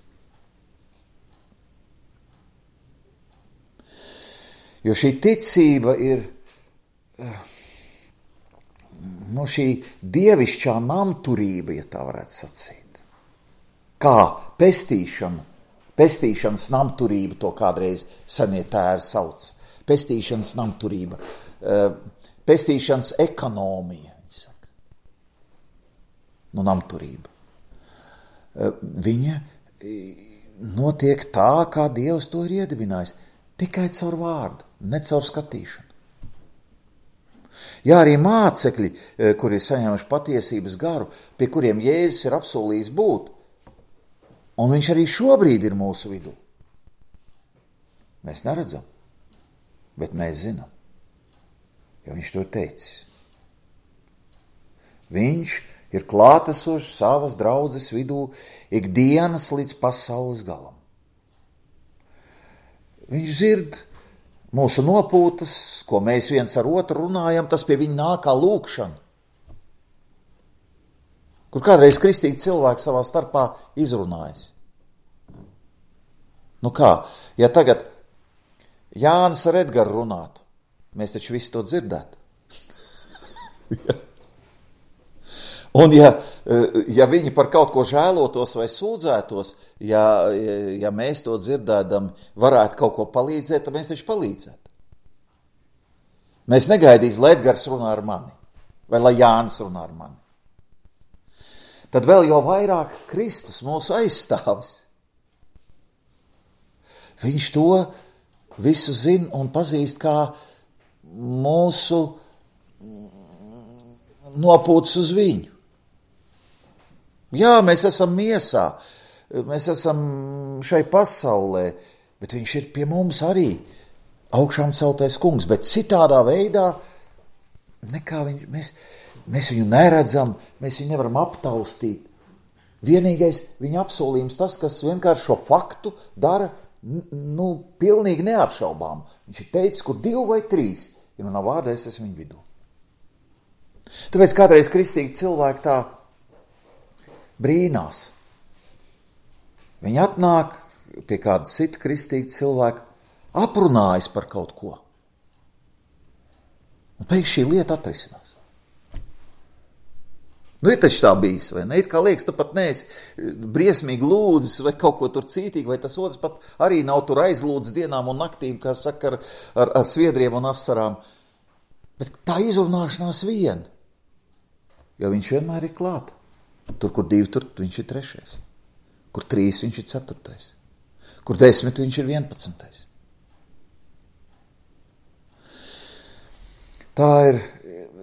Jo šī ticība ir nu, šī dievišķā namturība, ja tā varētu sacīt. Kā pestīšana, pestīšanas namturība, to kādreiz senie tēvi sauc. Pestīšanas namturība, pestīšanas ekonomija, viņi saka. Nu, namturība. Viņa notiek tā, kā Dievs to ir iedibinājis, tikai caur vārdu, ne caur skatīšanu. Jā, arī mācekļi, kuri ir saņēmuši patiesības garu, pie kuriem Jēzus ir apsolījis būt, un viņš arī šobrīd ir mūsu vidū. Mēs neredzam, bet mēs zinām, jo viņš to ir teicis. Viņš ir klātesošs savas draudzes vidū ikdienas līdz pasaules galam. Viņš dzird mūsu nopūtas, ko mēs viens ar otru runājam, tas pie viņa nāk kā lūkšana. Kur kādreiz kristīgi cilvēki savā starpā izrunājas. Nu kā, ja tagad Jānis ar Edgaru runātu, mēs taču visi to dzirdētu. Un ja, ja viņi par kaut ko žēlotos vai sūdzētos, ja, ja mēs to dzirdēdam varētu kaut ko palīdzēt, tad mēs taču palīdzētu. Mēs negaidīsim, lai Edgars runā ar mani, vai lai Jānis runā ar mani. Tad vēl jau vairāk Kristus mūsu aizstāvis. Viņš to visu zina un pazīst kā mūsu nopūtas uz viņu. Jā, mēs esam miesā, mēs esam šai pasaulē, bet viņš ir pie mums arī augšām celtais kungs, bet citādā veidā nekā viņš, mēs, mēs viņu neredzam, mēs viņu nevaram aptaustīt. Vienīgais viņa apsolījums tas, kas vienkārši šo faktu dara, nu, pilnīgi neapšaubām. Viņš ir teicis, kur divi vai trīs, ja manā vārdā es esmu viņu vidū. Tāpēc kādreiz kristīgi cilvēki tā brīnās. Viņi atnāk pie kāda cita kristīga cilvēka, aprunājas par kaut ko. Un pēkšņi šī lieta atrisinās. Nu, ir taču tā bijis, vai ne? It kā liekas, tu pat neesi briesmīgi lūdzis vai kaut ko tur cītīgi, vai tas otrs pat arī nav tur aizlūdzis dienām un naktīm, kā saka, ar, ar, ar sviedriem un asarām. Bet tā izrunāšanās vien, jo viņš vienmēr ir klāt. Tur, kur divi, tur viņš ir trešais. Kur trīs, viņš ir ceturtais. Kur desmit, viņš ir vienpadsmitais. Tā ir,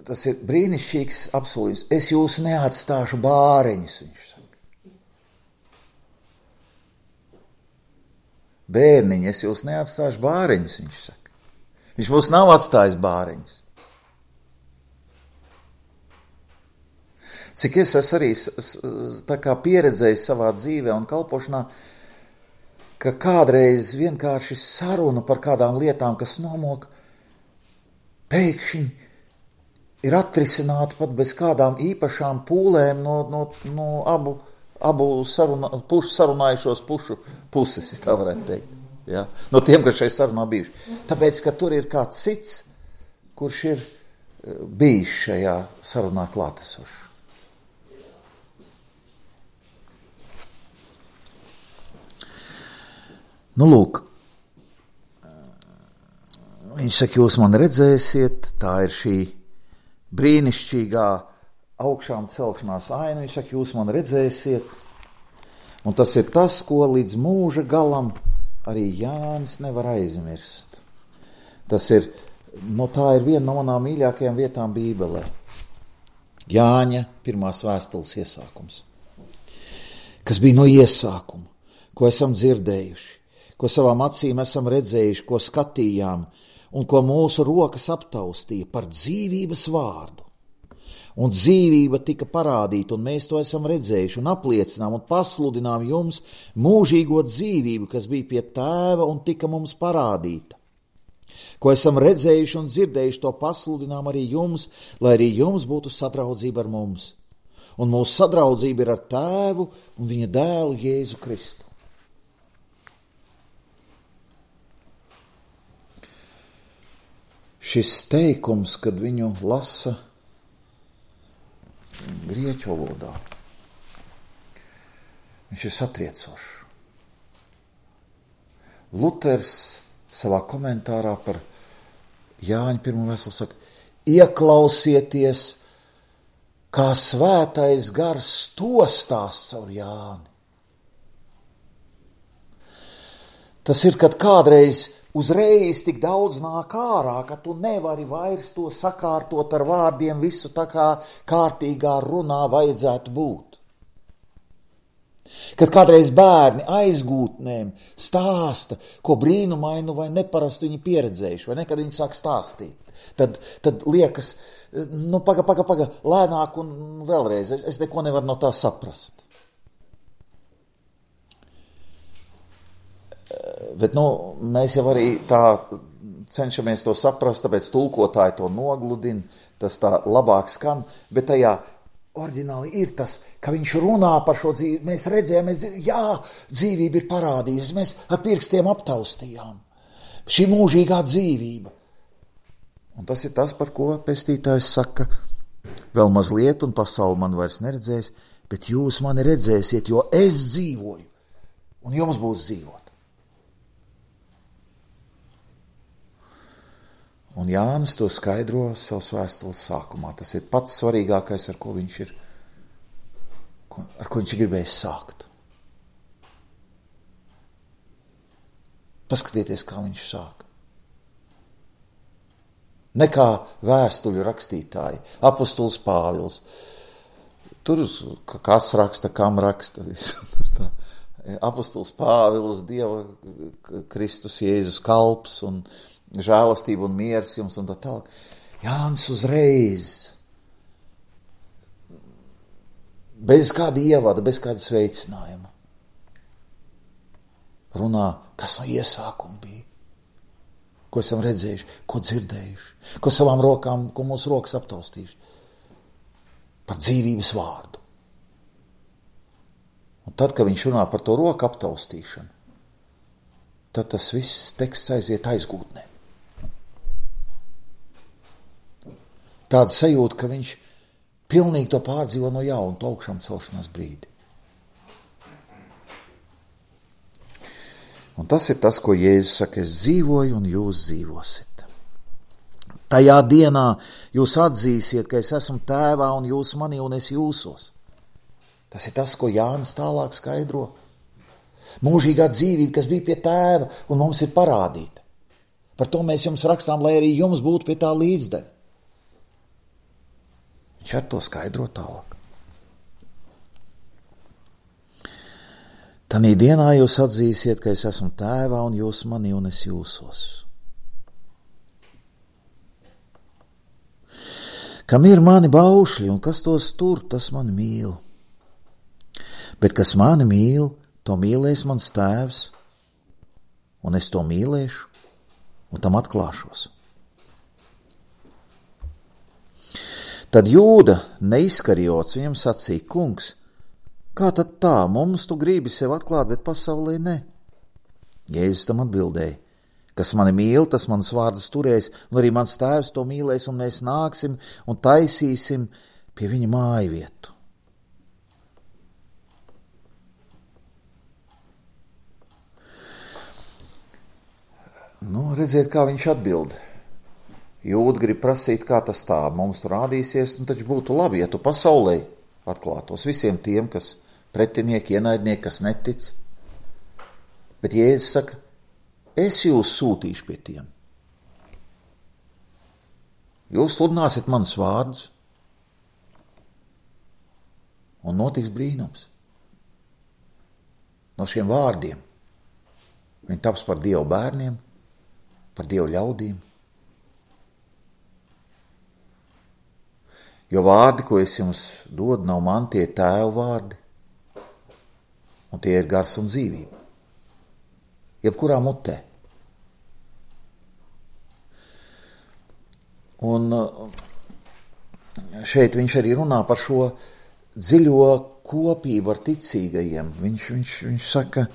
tas ir brīnišķīgs apsolījums. Es jūs neatstāšu bāreņus, viņš saka. Bērniņi, es jūs neatstāšu bāreņus, viņš saka. Viņš mums nav atstājis bāreņus. Cik es esmu arī tā kā pieredzējis savā dzīvē un kalpošanā, ka kādreiz vienkārši saruna par kādām lietām, kas nomok, pēkšņi ir atrisināta pat bez kādām īpašām pūlēm no, no, no abu, abu saruna, pušu, sarunājušos pušu puses, tā varētu teikt. Ja? No tiem, kas šeit sarunā bijuši. Tāpēc, ka tur ir kāds cits, kurš ir bijis šajā sarunā klātesošs. Nu, lūk, viņš saka, jūs man redzēsiet, tā ir šī brīnišķīgā augšām celšanās aina, viņš saka, jūs man redzēsiet, un tas ir tas, ko līdz mūža galam arī Jānis nevar aizmirst. Tas ir, no tā ir viena no manām mīļākajām vietām Bībelē. Jāņa pirmās vēstules iesākums, kas bija no iesākuma, ko esam dzirdējuši, ko savām acīm esam redzējuši, ko skatījām un ko mūsu rokas aptaustīja par dzīvības vārdu. Un dzīvība tika parādīta, un mēs to esam redzējuši un apliecinām un pasludinām jums mūžīgo dzīvību, kas bija pie tēva un tika mums parādīta. Ko esam redzējuši un dzirdējuši, to pasludinām arī jums, lai arī jums būtu sadraudzība ar mums. Un mūsu sadraudzība ir ar tēvu un viņa dēlu Jēzu Kristu. Šis teikums, kad viņu lasa grieķu valodā, viņš ir satriecošs. Luters savā komentārā par Jāņa pirmo vēstuli saka, ieklausieties, kā svētais gars to stāsts caur Jāni. Tas ir, kad kādreiz uzreiz tik daudz nāk ārā, ka tu nevari vairs to sakārtot ar vārdiem, visu tā kā kārtīgā runā vajadzētu būt. Kad kādreiz bērni aizgūtnēm stāsta, ko brīnumainu vai neparastu viņi pieredzējuši, vai nekad viņi sāk stāstīt, tad, tad liekas, nu paga, paga, paga, lēnāk un vēlreiz, es, es neko nevaru no tā saprast. Bet, nu, mēs jau arī tā cenšamies to saprast, tāpēc tulkotāji to nogludina, tas tā labāk skan, bet tajā oriģināli ir tas, ka viņš runā par šo dzīvi, mēs redzējām, mēs, jā, dzīvība ir parādījusies, mēs ar pirkstiem aptaustījām. Šī mūžīgā dzīvība. Un tas ir tas, par ko pestītājs saka, vēl mazliet un pasauli man vairs neredzēs, bet jūs mani redzēsiet, jo es dzīvoju, un jums būs dzīvot. Un Jānis to skaidro savas vēstules sākumā. Tas ir pats svarīgākais, ar ko viņš ir, ar ko viņš ir gribējis sākt. Paskatieties, kā viņš sāk. Ne kā vēstuļu rakstītāji, apostols Pāvils. Tur kas raksta, kam raksta, visu. Apostols Pāvils, Dieva Kristus Jēzus kalps un žēlastība un miers jums un tā tālāk. Jānis uzreiz, bez kāda ievada, bez kāda sveicinājuma, runā, kas no iesākuma bija, ko esam redzējuši, ko dzirdējuši, ko savām rokām, ko mūsu rokas aptaustījuši, par dzīvības vārdu. Un tad, kad viņš runā par to roku aptaustīšanu, tad tas viss teksts aiziet aizgūtnēm. Tāda sajūta, ka viņš pilnīgi to pārdzīvo no jauna, to augšām celšanās brīdi. Un tas ir tas, ko Jēzus saka, es dzīvoju un jūs dzīvosit. Tajā dienā jūs atzīsiet, ka es esmu tēvā un jūs manī un es jūsos. Tas ir tas, ko Jānis tālāk skaidro. Mūžīgā dzīvība, kas bija pie tēva un mums ir parādīta. Par to mēs jums rakstām, lai arī jums būtu pie tā līdzdaļa. Viņš ar to skaidro tālāk. Tanī dienā jūs atzīsiet, ka es esmu tēvā un jūs manī un es jūsos. Kam ir mani baušļi un kas tos tur, tas mani mīl. Bet kas mani mīl, to mīlēs mans tēvs, un es to mīlēšu un tam atklāšos. Tad Jūda neizkarjots viņam sacīja, kungs, kā tad tā, mums tu gribi sev atklāt, bet pasaulē ne? Jēzus tam atbildēja, kas mani mīl, tas manas vārdas turēs, un arī mans tēvs to mīlēs, un mēs nāksim un taisīsim pie viņa māju vietu. Nu, redziet, kā viņš atbild. Jūda grib prasīt, kā tas tā mums tur rādīsies, un taču būtu labi, ja tu pasaulē atklātos visiem tiem, kas pretinieki, ienaidnieki, kas netic. Bet Jēzus saka, es jūs sūtīšu pie tiem. Jūs sludināsiet manus vārdus, un notiks brīnums. No šiem vārdiem viņi taps par Dievu bērniem, par Dievu ļaudīm. Jo vārdi, ko es jums dodu, nav man, tie tēvu vārdi, un tie ir gars un dzīvība. Jebkurā mutē. Un šeit viņš arī runā par šo dziļo kopību ar ticīgajiem. Viņš, viņš, viņš saka,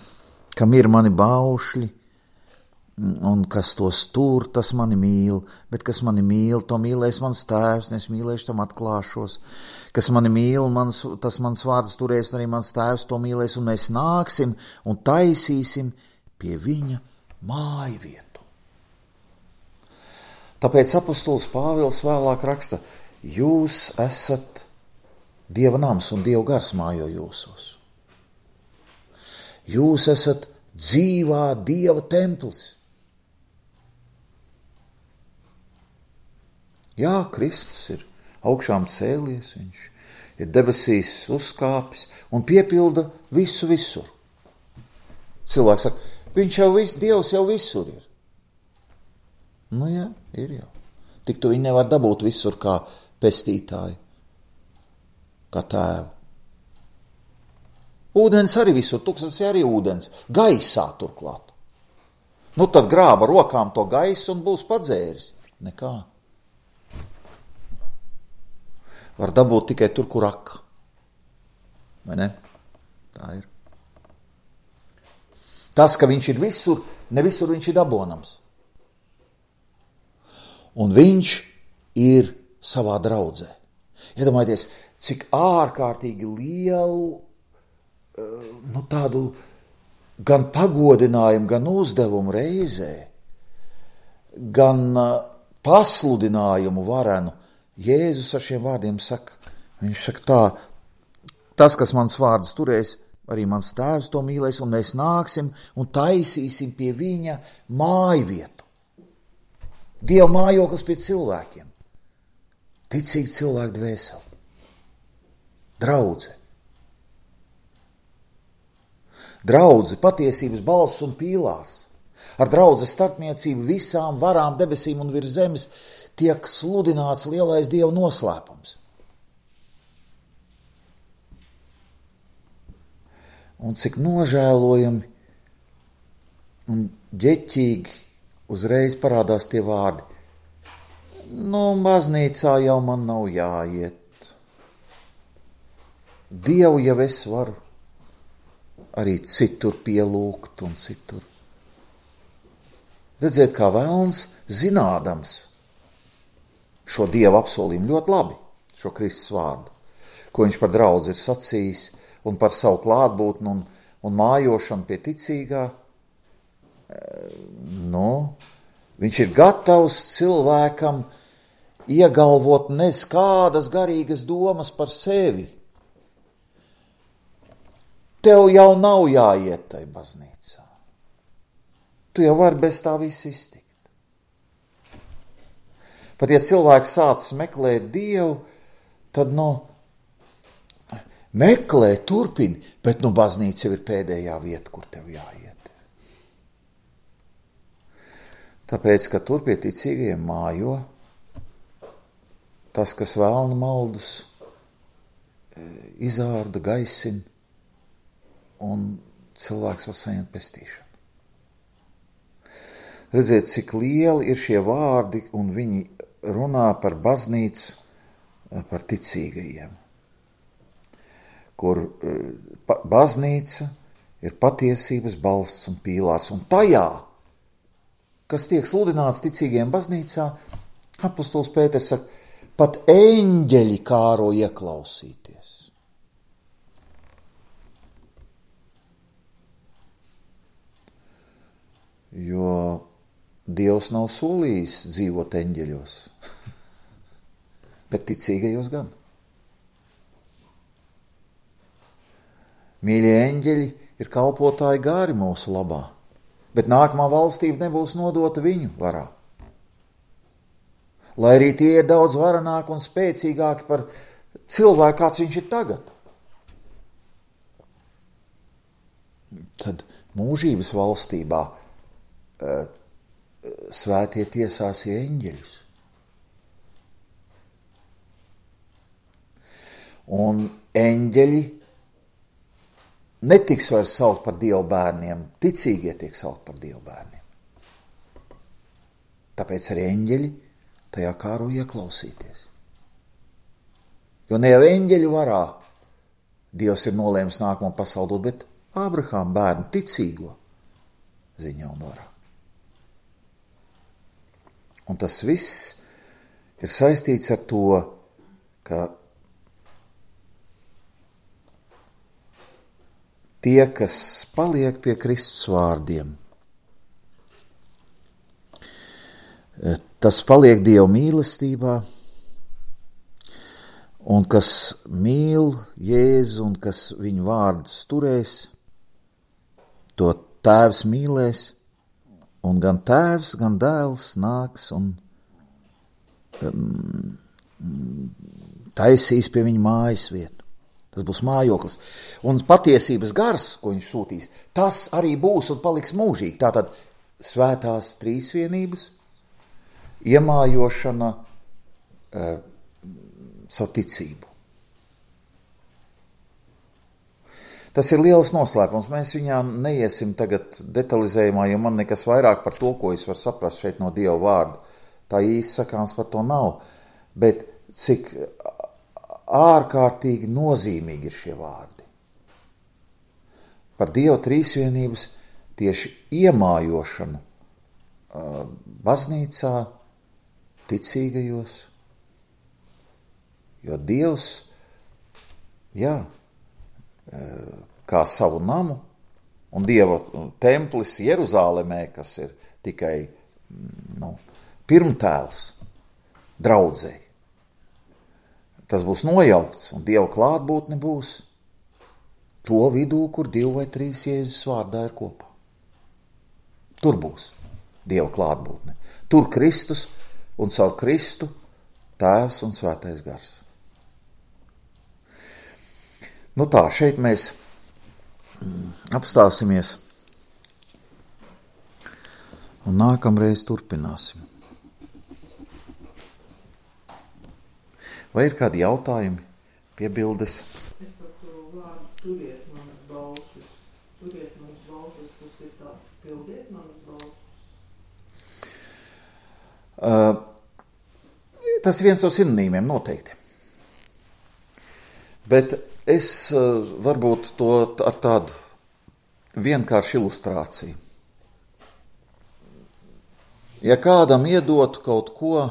kam ir mani baušļi, un kas tos tur, tas mani mīl, bet kas mani mīl, to mīlēs mans tēvs, un es mīlēšu, tam atklāšos. Kas mani mīl, mans, tas mans vārds turēs, un arī mans tēvs to mīlēs, un mēs nāksim un taisīsim pie viņa māju vietu. Tāpēc apostols Pāvils vēlāk raksta, jūs esat Dieva nams un Dieva gars mājo jūsos. Jūs esat dzīvā Dieva templis. Jā, Kristus ir augšām cēlies, viņš ir debesīs uzkāpis un piepilda visu visur. Cilvēks saka, viņš jau viss, Dievs jau visur ir. Nu jā, ir jau. Tik tu viņu nevar dabūt visur kā pestītāju, kā tēvu. Ūdens arī visur, tūkstotis arī ūdens, gaisā turklāt. Nu tad grāba rokām to gaisu un būs padzēris. Nekā. Var dabūt tikai tur, kur aka. Vai ne? Tā ir. Tas, ka viņš ir visur, ne visur viņš ir dabonams. Un viņš ir savā draudzē. Iedomājieties, cik ārkārtīgi lielu, nu tādu gan pagodinājumu, gan uzdevumu reizē, gan pasludinājumu varenu Jēzus ar šiem vārdiem saka, viņš saka tā, tas, kas mans vārds turēs, arī mans tēvs to mīlēs, un mēs nāksim un taisīsim pie viņa māju vietu. Dieva mājoklis pie cilvēkiem. Ticīgi cilvēku dvēseli. Draudze. Draudze, patiesības balss un pīlārs. Ar draudzes starpniecību visām varām debesīm un virs zemes tiek sludināts lielais Dieva noslēpums. Un cik nožēlojami un ģeķīgi uzreiz parādās tie vārdi. Nu, baznīcā jau man nav jāiet. Dievu jau es varu arī citur pielūgt un citur. Redziet, kā velns zinādams šo Dieva apsolījumu ļoti labi, šo Kristus vārdu, ko viņš par draudzi ir sacījis un par savu klātbūtni un, un mājošanu pie ticīgā. Nu, viņš ir gatavs cilvēkam iegalvot nez kādas garīgas domas par sevi, tev jau nav jāiet tai baznīcā. Tu jau vari bez tā viss iztikt. Pat ja cilvēks sācis meklēt Dievu, tad, nu, meklē, turpini, bet, nu, baznīca jau ir pēdējā vieta, kur tev jāiet. Tāpēc, ka tur pie ticīgajiem mājo tas, kas vēlna maldus, izārda, gaisina, un cilvēks var saņemt pestīšanu. Redziet, cik lieli ir šie vārdi, un viņi runā par baznīcu, par ticīgajiem, kur baznīca ir patiesības balsts un pīlārs. Un tajā, kas tiek sludināts ticīgajiem baznīcā, apostols Pēters saka, pat eņģeļi kāro ieklausīties. Jo Dievs nav solījis dzīvot eņģeļos, bet ticīgajos gan. Mīļie eņģeļi ir kalpotāji gāri mūsu labā, bet nākamā valstība nebūs nodota viņu varā. Lai arī tie ir daudz varenāki un spēcīgāki par cilvēku, kāds viņš ir tagad. Tad mūžības valstībā uh, svētie tiesās eņģeļus. Un eņģeļi netiks vairs saukt par Dievu bērniem, ticīgie tiek saukt par Dievu bērniem. Tāpēc arī eņģeļi tajā kāro ieklausīties. Jo ne jau eņģeļu varā Dievs ir nolēmis nākamo pasauli dot, bet Ābrahāma bērnu ticīgo ziņā un varā. Un tas viss ir saistīts ar to, ka tie, kas paliek pie Kristus vārdiem, tas paliek Dieva mīlestībā, un kas mīl Jēzu un kas viņu vārdus turēs, to Tēvs mīlēs, un gan Tēvs, gan Dēls nāks un um, taisīs pie viņa mājas vietu. Tas būs mājoklis. Un patiesības gars, ko viņš sūtīs, tas arī būs un paliks mūžīgi. Tātad svētās trīsvienības iemājošana uh, savu ticību. Tas ir liels noslēpums. Mēs viņā neiesim tagad detalizējumā, jo man nekas vairāk par to, ko es varu saprast šeit no Dieva vārda. Tā īsti sakāms par to nav. Bet cik ārkārtīgi nozīmīgi ir šie vārdi. Par Dieva trīsvienības tieši iemājošanu uh, baznīcā, ticīgajos. Jo Dievs, jā, kā savu namu, un Dieva templis Jeruzālemē, kas ir tikai nu, pirmtēls draudzei. Tas būs nojaukts, un Dieva klātbūtne būs to vidū, kur divi vai trīs Jēzus vārdā ir kopā. Tur būs Dieva klātbūtne. Tur Kristus un caur Kristu Tēvs un Svētais Gars. Nu tā, šeit mēs apstāsimies un nākamreiz turpināsim. Vai ir kādi jautājumi, piebildes? Es par to vārdu turiet manas baušas. Turiet manas baušas, tas ir tā, pildiet manas baušas. Uh, tas ir viens no sinonīmiem noteikti. Bet es uh, varbūt to ar tādu vienkāršu ilustrāciju. Ja kādam iedotu kaut ko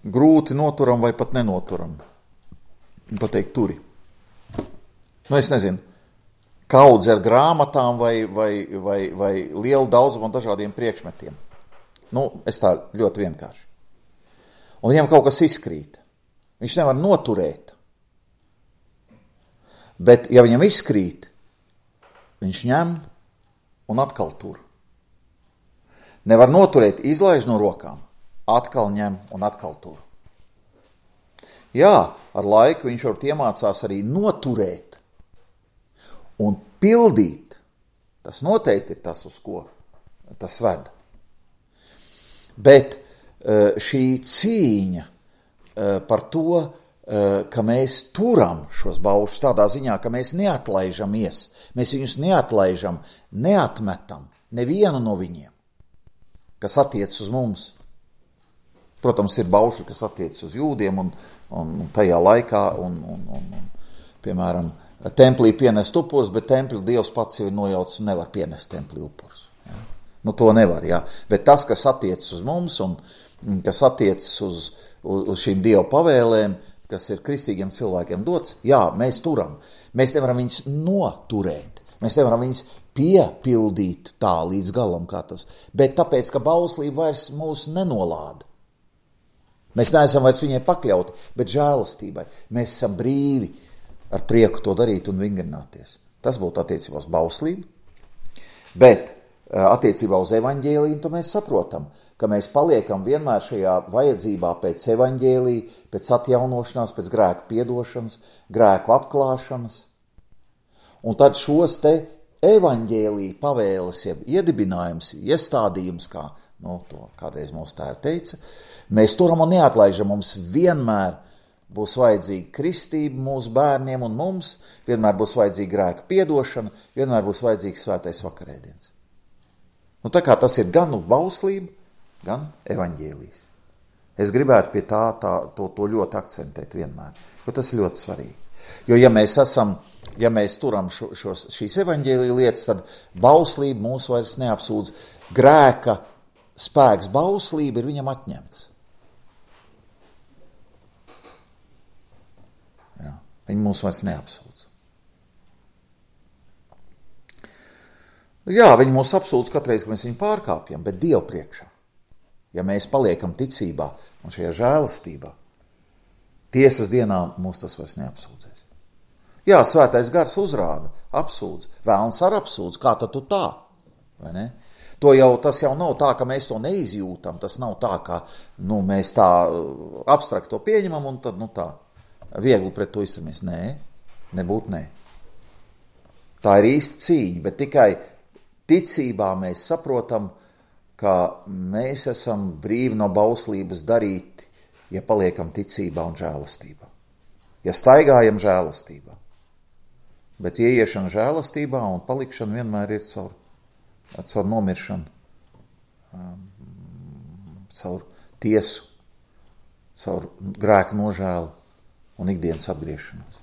grūti noturam vai pat nenoturam, pateikt turi. Nu, es nezinu, kaudze ar grāmatām vai, vai, vai, vai lielu daudzumu dažādiem priekšmetiem. Nu, es tā ļoti vienkārši. Un viņam kaut kas izkrīt. Viņš nevar noturēt. Bet, ja viņam izkrīt, viņš ņem un atkal tur. Nevar noturēt, izlaiž no rokām, atkal ņem un atkal tur. Jā, ar laiku viņš varbūt iemācās arī noturēt un pildīt. Tas noteikti ir tas, uz ko tas ved. Bet šī cīņa par to, ka mēs turam šos baušus tādā ziņā, ka mēs neatlaižamies, mēs viņus neatlaižam, neatmetam nevienu no viņiem, kas attiec uz mums. Protams, ir baušļi, kas attiec uz jūdiem un, un tajā laikā, un, un, un, un piemēram, templī pienest upurus, bet templi Dievs pats jau ir nojaucis un nevar pienest templi upurus. Ja? Nu, to nevar, jā. Bet tas, kas attiec uz mums un kas attiec uz, uz, uz šīm Dieva pavēlēm, kas ir kristīgiem cilvēkiem dots, jā, mēs turam. Mēs nevaram viņus noturēt. Mēs nevaram viņus piepildīt tā līdz galam kā tas. Bet tāpēc, ka bauslība vairs mūs nenolāda. Mēs neesam vairs viņai pakļauti, bet žēlastībai. Mēs esam brīvi ar prieku to darīt un vingrināties. Tas būtu attiecībā uz bauslību. Bet attiecībā uz evaņģēliju, to mēs saprotam, ka mēs paliekam vienmēr šajā vajadzībā pēc evaņģēlija, pēc atjaunošanās, pēc grēku piedošanas, grēku apklāšanas. Un tad šos te evaņģēlija pavēles, jeb iedibinājums, iestādījums, kā nu, to kādreiz mūsu tēvi teica, mēs turam un neatlaižam, mums vienmēr būs vajadzīga kristība mūsu bērniem un mums, vienmēr būs vajadzīga grēka piedošana, vienmēr būs vajadzīgs svētais vakarēdiens. Nu, tā kā tas ir gan bauslība, gan evaņģēlijs. Es gribētu pie tā, tā to, to ļoti akcentēt vienmēr, jo tas ir ļoti svarīgi. Jo ja mēs esam, ja mēs turam šo, šos, šīs evaņģēlija lietas, tad bauslība mūs vairs neapsūdz. Grēka spēks bauslība ir viņam atņemts. Jā, viņi mūs vairs neapsūdz. Jā, viņi mūs apsūdz katreiz, ka mēs viņu pārkāpjam, bet Dievu priekšā. Ja mēs paliekam ticībā un šajā žēlastībā, tiesas dienā mūs tas vairs neapsūdzēs. Jā, svētais gars uzrāda, apsūdz, vēlns ar apsūdz, kā tad tu tā, vai ne? To jau, tas jau nav tā, ka mēs to neizjūtam, tas nav tā, ka nu, mēs tā abstrakt to pieņemam un tad nu tā viegli pret to izturamies. Nē, nebūt nē. Tā ir īsta cīņa, bet tikai ticībā mēs saprotam, ka mēs esam brīvi no bauslības darīt, ja paliekam ticībā un žēlastībā. Ja staigājam žēlastībā. Bet ieiešana žēlastībā un palikšana vienmēr ir caur, caur nomiršanu, caur tiesu, caur grēka nožēlu un ikdienas atgriešanos.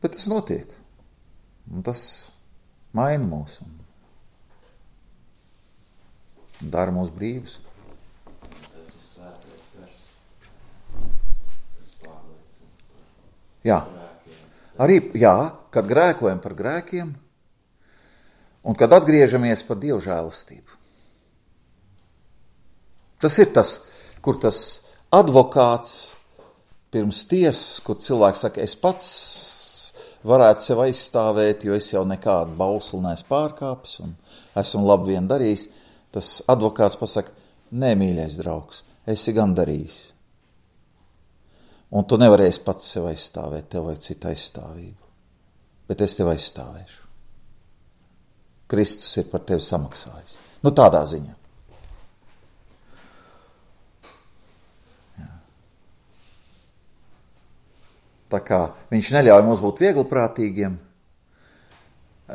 Bet tas notiek. Un tas maina mūs un dara mūs brīvus. Tas ir svētais gars. Tas pārliecina par jā. grēkiem. Arī, jā, kad grēkojam par grēkiem un kad atgriežamies par Dievu žēlastību. Tas ir tas, kur tas advokāts pirms tiesas, kur cilvēks saka, es pats varētu sev aizstāvēt, jo es jau nekādu bausli neesmu pārkāpis un esmu labi vien darījis. Tas advokāts pasaka, nē, mīļais draugs, esi gan darījis. Un tu nevarēsi pats sev aizstāvēt, tev vajag citu aizstāvību. Bet es tev aizstāvēšu. Kristus ir par tevi samaksājis. Nu, tādā ziņā. Jā. Tā kā viņš neļauj mums būt viegliprātīgiem,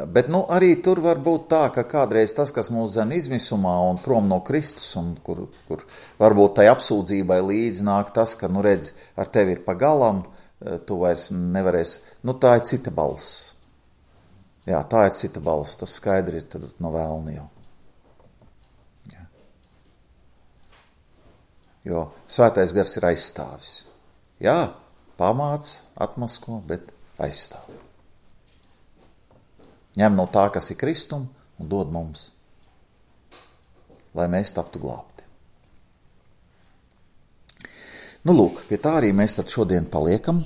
bet nu, arī tur var būt tā, ka kādreiz tas, kas mūs dzen izmisumā un prom no Kristus, un kur, kur varbūt tai apsūdzībai līdzi nāk tas, ka, nu redz, ar tevi ir pagalam, tu vairs nevarēsi, nu tā ir cita balss. Jā, tā ir cita balss, tas skaidri ir tad no vēlna jau. Jā. Jo svētais gars ir aizstāvis. Jā, pamāc, atmasko, bet aizstāv. Ņem no tā, kas ir Kristum, un dod mums, lai mēs taptu glābti. Nu, lūk, pie tā arī mēs tad šodien paliekam.